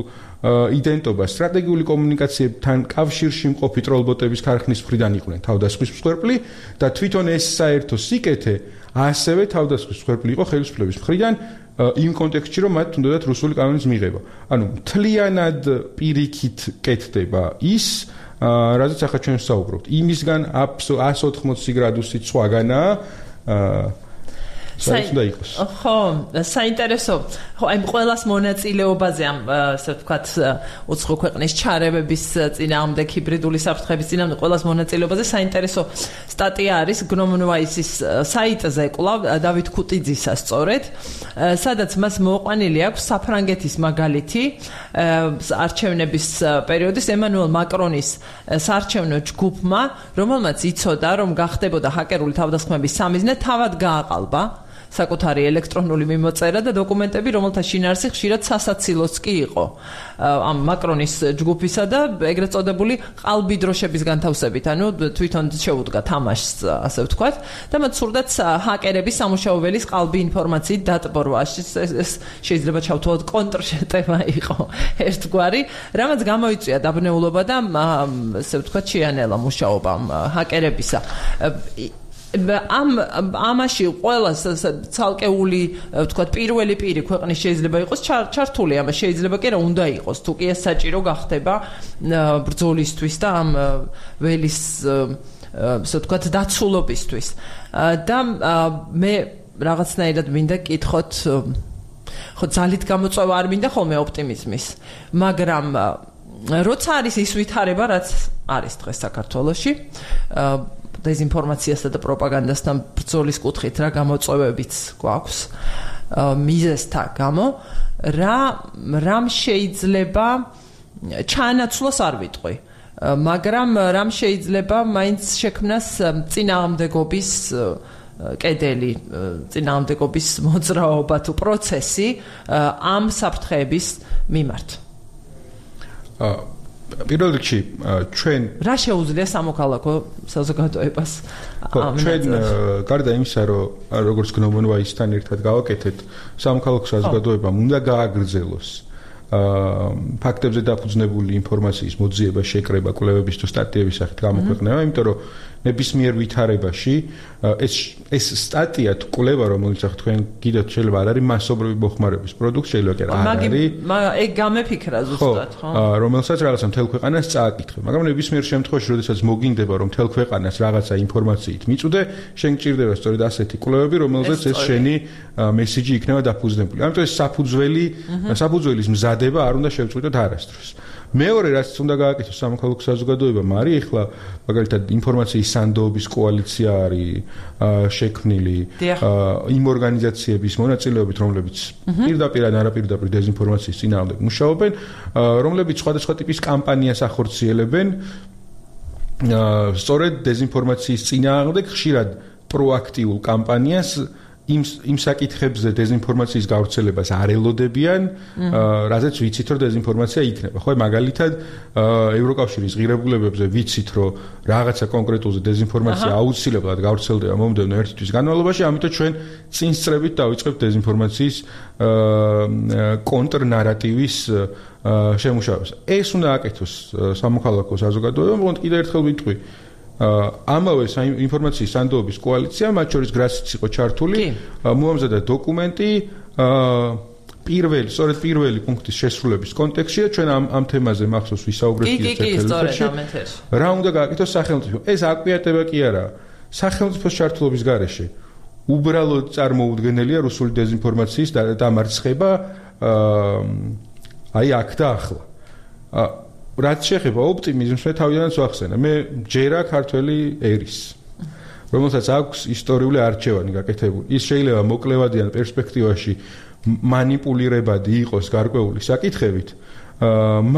Speaker 2: იდენტობას სტრატეგიული კომუნიკაციებთან კავშირში მყოფი ტროლბოტების ქარხნის მხრიდან იყვნენ თავდასხმის მსხვერპლი და თვითონ ეს საერთო სიკეთე ასევე თავდასხმის მსხვერპლი იყო ხელისუფლების მხრიდან იმ კონტექსტში, რომ მათ უნდათ რუსული კანონის მიღება. ანუ მთლიანად პირიქით კეთდება ის, რაზეც ახლა ჩვენ ვსაუბრობთ. იმისგან ათს ოცდაოთხი გრადუსით სხვაგანაა. საერთოდ უნდა იყოს.
Speaker 1: ხო, საინტერესო. ხო, აი ყველას მონაწილეობაზე ამ ასე ვთქვათ უცხო ქვეყნის ჩარევების წინააღმდეგ ჰიბრიდული საფრთხების წინააღმდეგ ყველას მონაწილეობაზე საინტერესო სტატია არის გნომნვაისის საიტზე კვლავ დავით ქუტიძისა სწორედ, სადაც მას მოყვანილი აქვს საფრანგეთის მაგალითი არჩევნების პერიოდის ემანუელ მაკრონის საარჩევნო ჯგუფმა, რომელმაც იცოდა, რომ გახდებოდა ჰაკერული თავდასხმების სამიზნე, თავად გააყალბა საკუთარი ელექტრონული მიმოწერა და დოკუმენტები, რომელთა შინაარსი ხშირად სასაცილოც კი იყო ამ მაკრონის ჯგუფისა და ეგრეთ წოდებული ყალბი დროშების განთავსებით, ანუ თვითონ შეუდგა თამაშს, ასე ვთქვათ, და მათ სურდათ ჰაკერების სამუშაო ველის ყალბი ინფორმაციით დატბორვა. ეს შეიძლება ჩავთვალოთ კონტრშეტევა იყო ერთგვარი, რამაც გამოიწვია დაბნეულობა და ასე ვთქვათ შეანელა მუშაობა ჰაკერებისა. ამ ამაში ყველას ცალკეული ვთქვათ პირველი პირი ქვეყნის შეიძლება იყოს ჩართული, ამას შეიძლება კი რა უნდა იყოს, თუ კი ეს საჭირო გახდება ბრძოლისთვის და ამ ველის ასე ვთქვათ დაცულობისთვის. და მე რაღაცნაირად მინდა კითხოთ, ხო ძალით გამოწვევა არ მინდა ხოლმე ოპტიმიზმის, მაგრამ როცა არის ის ვითარება, რაც არის დღეს საქართველოში, დეზინფორმაციასა და პროპაგანდასთან ბრძოლის კუთხით რა გამოწვევებიც გვაქვს მიზესთა გამო, რა რამ შეიძლება ჩაანაცვლოს არ ვიტყვი, მაგრამ რამ შეიძლება მაინც შექმნას წინააღმდეგობის კედელი, წინააღმდეგობის მოძრაობა თუ პროცესი ამ საფრთხეების მიმართ.
Speaker 2: პირველ რიგში ჩვენ
Speaker 1: რა შეუძლია სამოქალაქო საზოგადოებას
Speaker 2: ამ ჩვენ გარდა იმისა, რომ როგორც გნომნვაისთან ერთად გავაკეთეთ, სამოქალაქო საზოგადოებამ უნდა გააგრძელოს ფაქტებზე დაფუძნებული ინფორმაციის მოძიება, შეკრება, კვლევების თუ სტატიების სახით გამოქვეყნება, იმიტომ რომ ნებისმიერ ვითარებაში ეს ეს სტატია თუ კვლევა, რომელიც ახლა თქვენ გიდათ, შეიძლება არ არის მასობრივი მოხმარების პროდუქტი, შეიძლება კი არ არის.
Speaker 1: მაგრამ ეგ გამეფიქრა ზუსტად, ხო?
Speaker 2: რომელსაც რაღაცა მთელ ქვეყანას წააკითხე, მაგრამ ნებისმიერ შემთხვევაში, როდესაც მოგინდება, რომ მთელ ქვეყანას რაღაცა ინფორმაციით მიწუდე, შენ გჭირდება სწორედ ასეთი კვლევები, რომელზეც ეს შენი მესიჯი იქნება დაფუძნებული. ამიტომ ეს საფუძველი, საფუძველის მზადება არ უნდა შევწყვიტოთ არასდროს. მეორე რაც უნდა გააკეთოს სამოქალაქო საზოგადოებამ არის ახლა მაგალითად ინფორმაციის სანდოობის კოალიცია არის შექმნილი იმ ორგანიზაციების მონაწილეობით, რომლებიც პირდაპირ ან არაპირდაპირ დეზინფორმაციის წინააღმდეგ მუშაობენ, რომლებიც სხვადასხვა ტიპის კამპანიას ახორციელებენ სწორედ დეზინფორმაციის წინააღმდეგ, ხშირად პროაქტიულ კამპანიას იმ იმ საკითხებზე დეზინფორმაციის გავრცელებას არ ელოდებიან, რაზეც ვიცით, რომ დეზინფორმაცია იქნება. ხო, მაგალითად, ევროკავშირის ღირებულებებზე ვიცით, რომ რაღაცა კონკრეტულზე დეზინფორმაცია აუცილებლად გავრცელდება მომდევნო ერთი თვის განმავლობაში, ამიტომ ჩვენ წინსწრებით დავიწყებთ დეზინფორმაციის კონტრნარატივის შემუშავებას. ეს უნდა აკეთოს სამოქალაქო საზოგადოებამ, თუმცა კიდევ ერთხელ ვიტყვი, ამავე ინფორმაციის სანდოობის კოალიცია, მათ შორის გრასიც იყო ჩართული, მოამზადა დოკუმენტი პირველი, სწორედ პირველი პუნქტის შესრულების კონტექსტში და ჩვენ ამ ამ თემაზე მახსოვს ვისაუბრეთ
Speaker 1: ერთმანეთში.
Speaker 2: რა უნდა გააკეთოს სახელმწიფო? ეს აკვიატება კი არაა. სახელმწიფოს ჩართულობის გარეშე უბრალოდ წარმოუდგენელია რუსული დეზინფორმაციის დამარცხება აი აქ და ახლა. რაც შეეხება ოპტიმიზმს, მე თავიდანაც ვახსენე, მე ჯერა ქართველი ერის, რომელსაც აქვს ისტორიული არჩევანი გაკეთებული. ის შეიძლება მოკლევადიან პერსპექტივაში მანიპულირებადი იყოს გარკვეული საკითხებით,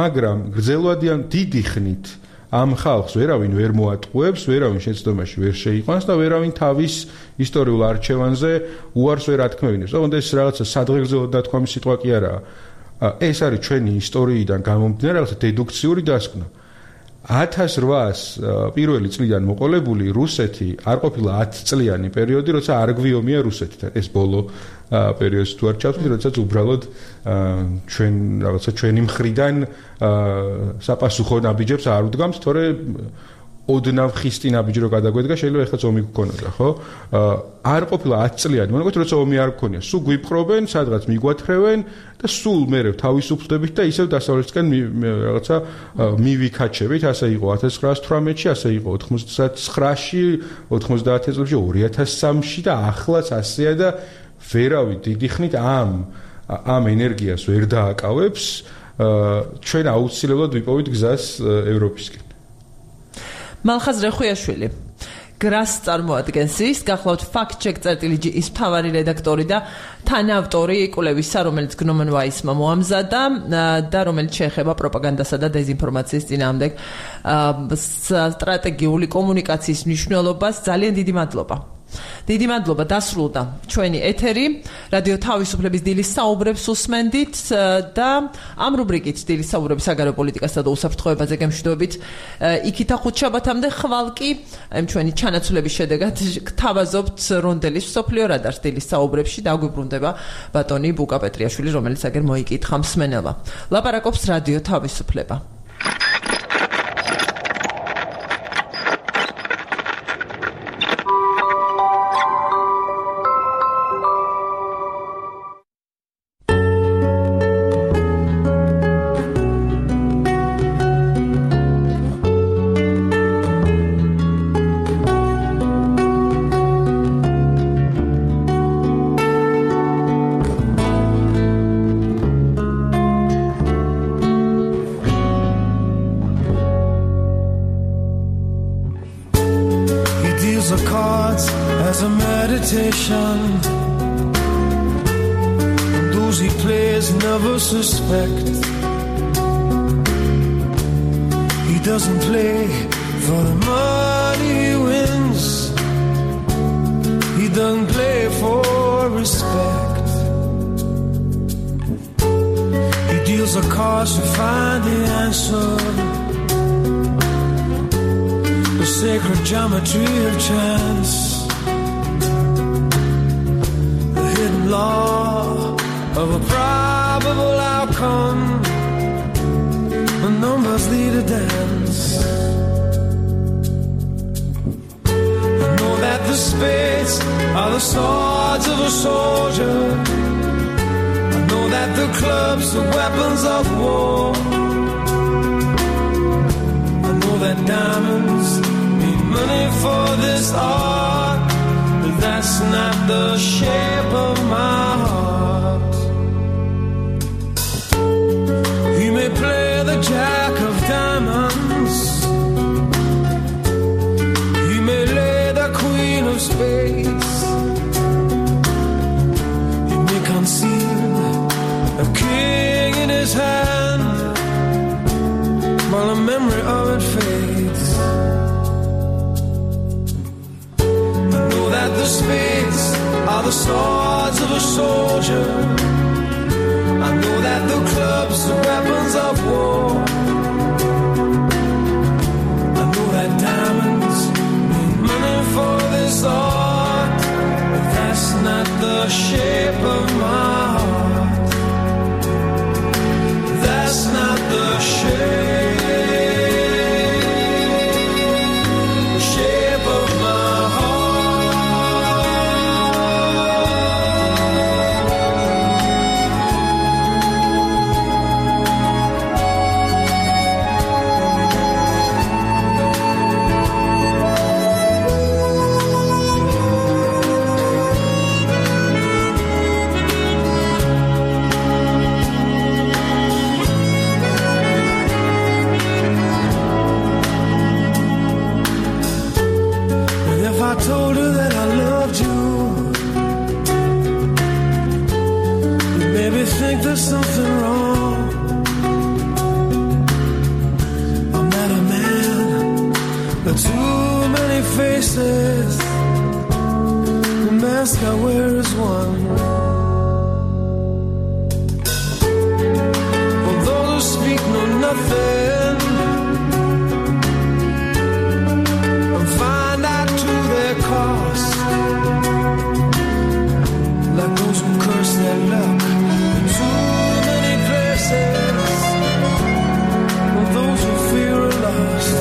Speaker 2: მაგრამ გრძელვადიან დიდი ხნით ამ ხალხს ვერავინ ვერ მოატყუებს, ვერავინ შეცდომაში ვერ შეიყვანს და ვერავინ თავის ისტორიულ არჩევანზე უარს ვერ ათქმევინებს. თუმცა ეს რაღაცა სადღეგრძელოდ დათქვამი სიტყვა კი არაა. ეს არის ჩვენი ისტორიიდან გამომდინარე რაღაცა დედუქციური დასკვნა. ათას რვაას პირველი წლიდან მოყოლებული რუსეთი არ ყოფილა ათი წლიანი პერიოდი, როცა არ გვიომია რუსეთთან. ეს ბოლო პერიოდს თუ არ ჩავთვლი, როდესაც უბრალოდ ჩვენ რაღაცა ჩვენი მხრიდან საპასუხო ნაბიჯებს არ უდგამს, თორე ოდნავ ხისტი ნაბიჯი რო გადაგვედგა, შეიძლება ეხლა ომი გქონოდა, ხო? არ ყოფილა ათი წლიანი, მონაკოთ როცა ომი არ გქონია, სულ გვიპყრობენ, სადღაც მიგვათხრევენ და სულ მერე თავისუფლდებით და ისევ დასავლეთისკენ რაღაცა მივიქაჩებით, ასე იყო ათას ცხრაასი თვრამეტში, ასე იყო ოცდაათში, ოცდაათი წელს, ორი ათას სამში და ახლაც ასეა და ვერავი დიდი ხნით ამ ამ ენერგიას ვერ დააკავებს, ჩვენ აუცილებლად ვიპოვით გზას ევროპისკენ.
Speaker 1: მალხაზ რეხუიაშვილი გრას წარმოადგენს ის, გახლავთ fact-check.gr-ის მთავარი რედაქტორი და თანაავტორი კვლევისა, რომელიც გნომენ ვაისმა მოამზადა და რომელიც შეეხება პროპაგანდასა და დეზინფორმაციის წინააღმდეგ სტრატეგიული კომუნიკაციის მნიშვნელობას. ძალიან დიდი მადლობა. დიდი მადლობა, დასრულდა ჩვენი ეთერი. რადიო თავისუფლების დილის საუბრებს უსმენდით და ამ რუბრიკით დილის საუბრები საგარეო პოლიტიკასა და უსაფრთხოებაზე გემშვიდობით იქითა ხუთშაბათამდე. ხვალ კი ამ ჩვენი ჩანაცვლების შედეგად გთავაზობთ რონდელის მსოფლიო რადარს დილის საუბრებში და აგვიბრუნდება ბატონი ბუკა პეტრიაშვილი, რომელიც აგერ მოიკითხა მსმენელმა. ლაპარაკობს რადიო თავისუფლება.
Speaker 3: Suspect he doesn't play for the money he wins, he doesn't play for respect, he deals the cards to find the answer, the sacred geometry of chance, the hidden law of a probable outcome, the numbers lead a dance. I know that the spades are the swords of a soldier, I know that the clubs are weapons of war, I know that diamonds mean money for this art, but that's not the shape of my heart. You may play the jack of diamonds, you may lay the queen of spades, you may conceal a king in his hand while the memory of it fades. I know that the spades are the swords of a soldier, I know that the clubs are weapons of war, I know that diamonds mean money for this art, but that's not the shape of my heart, that's not the shape, the shape of my heart. I told her that I loved you, you made me think there's something wrong. I'm not a man, there are too many faces, the mask I wear is one. For those who speak know nothing and find out to their cost, like those who curse their luck in too many places, or those who fear are lost.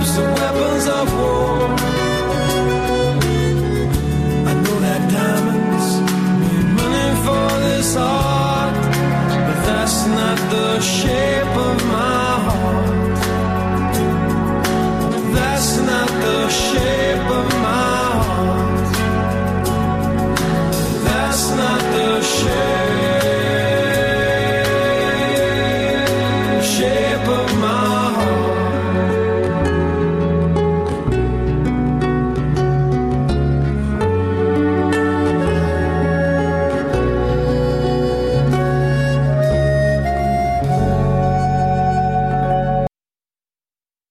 Speaker 3: clubs, the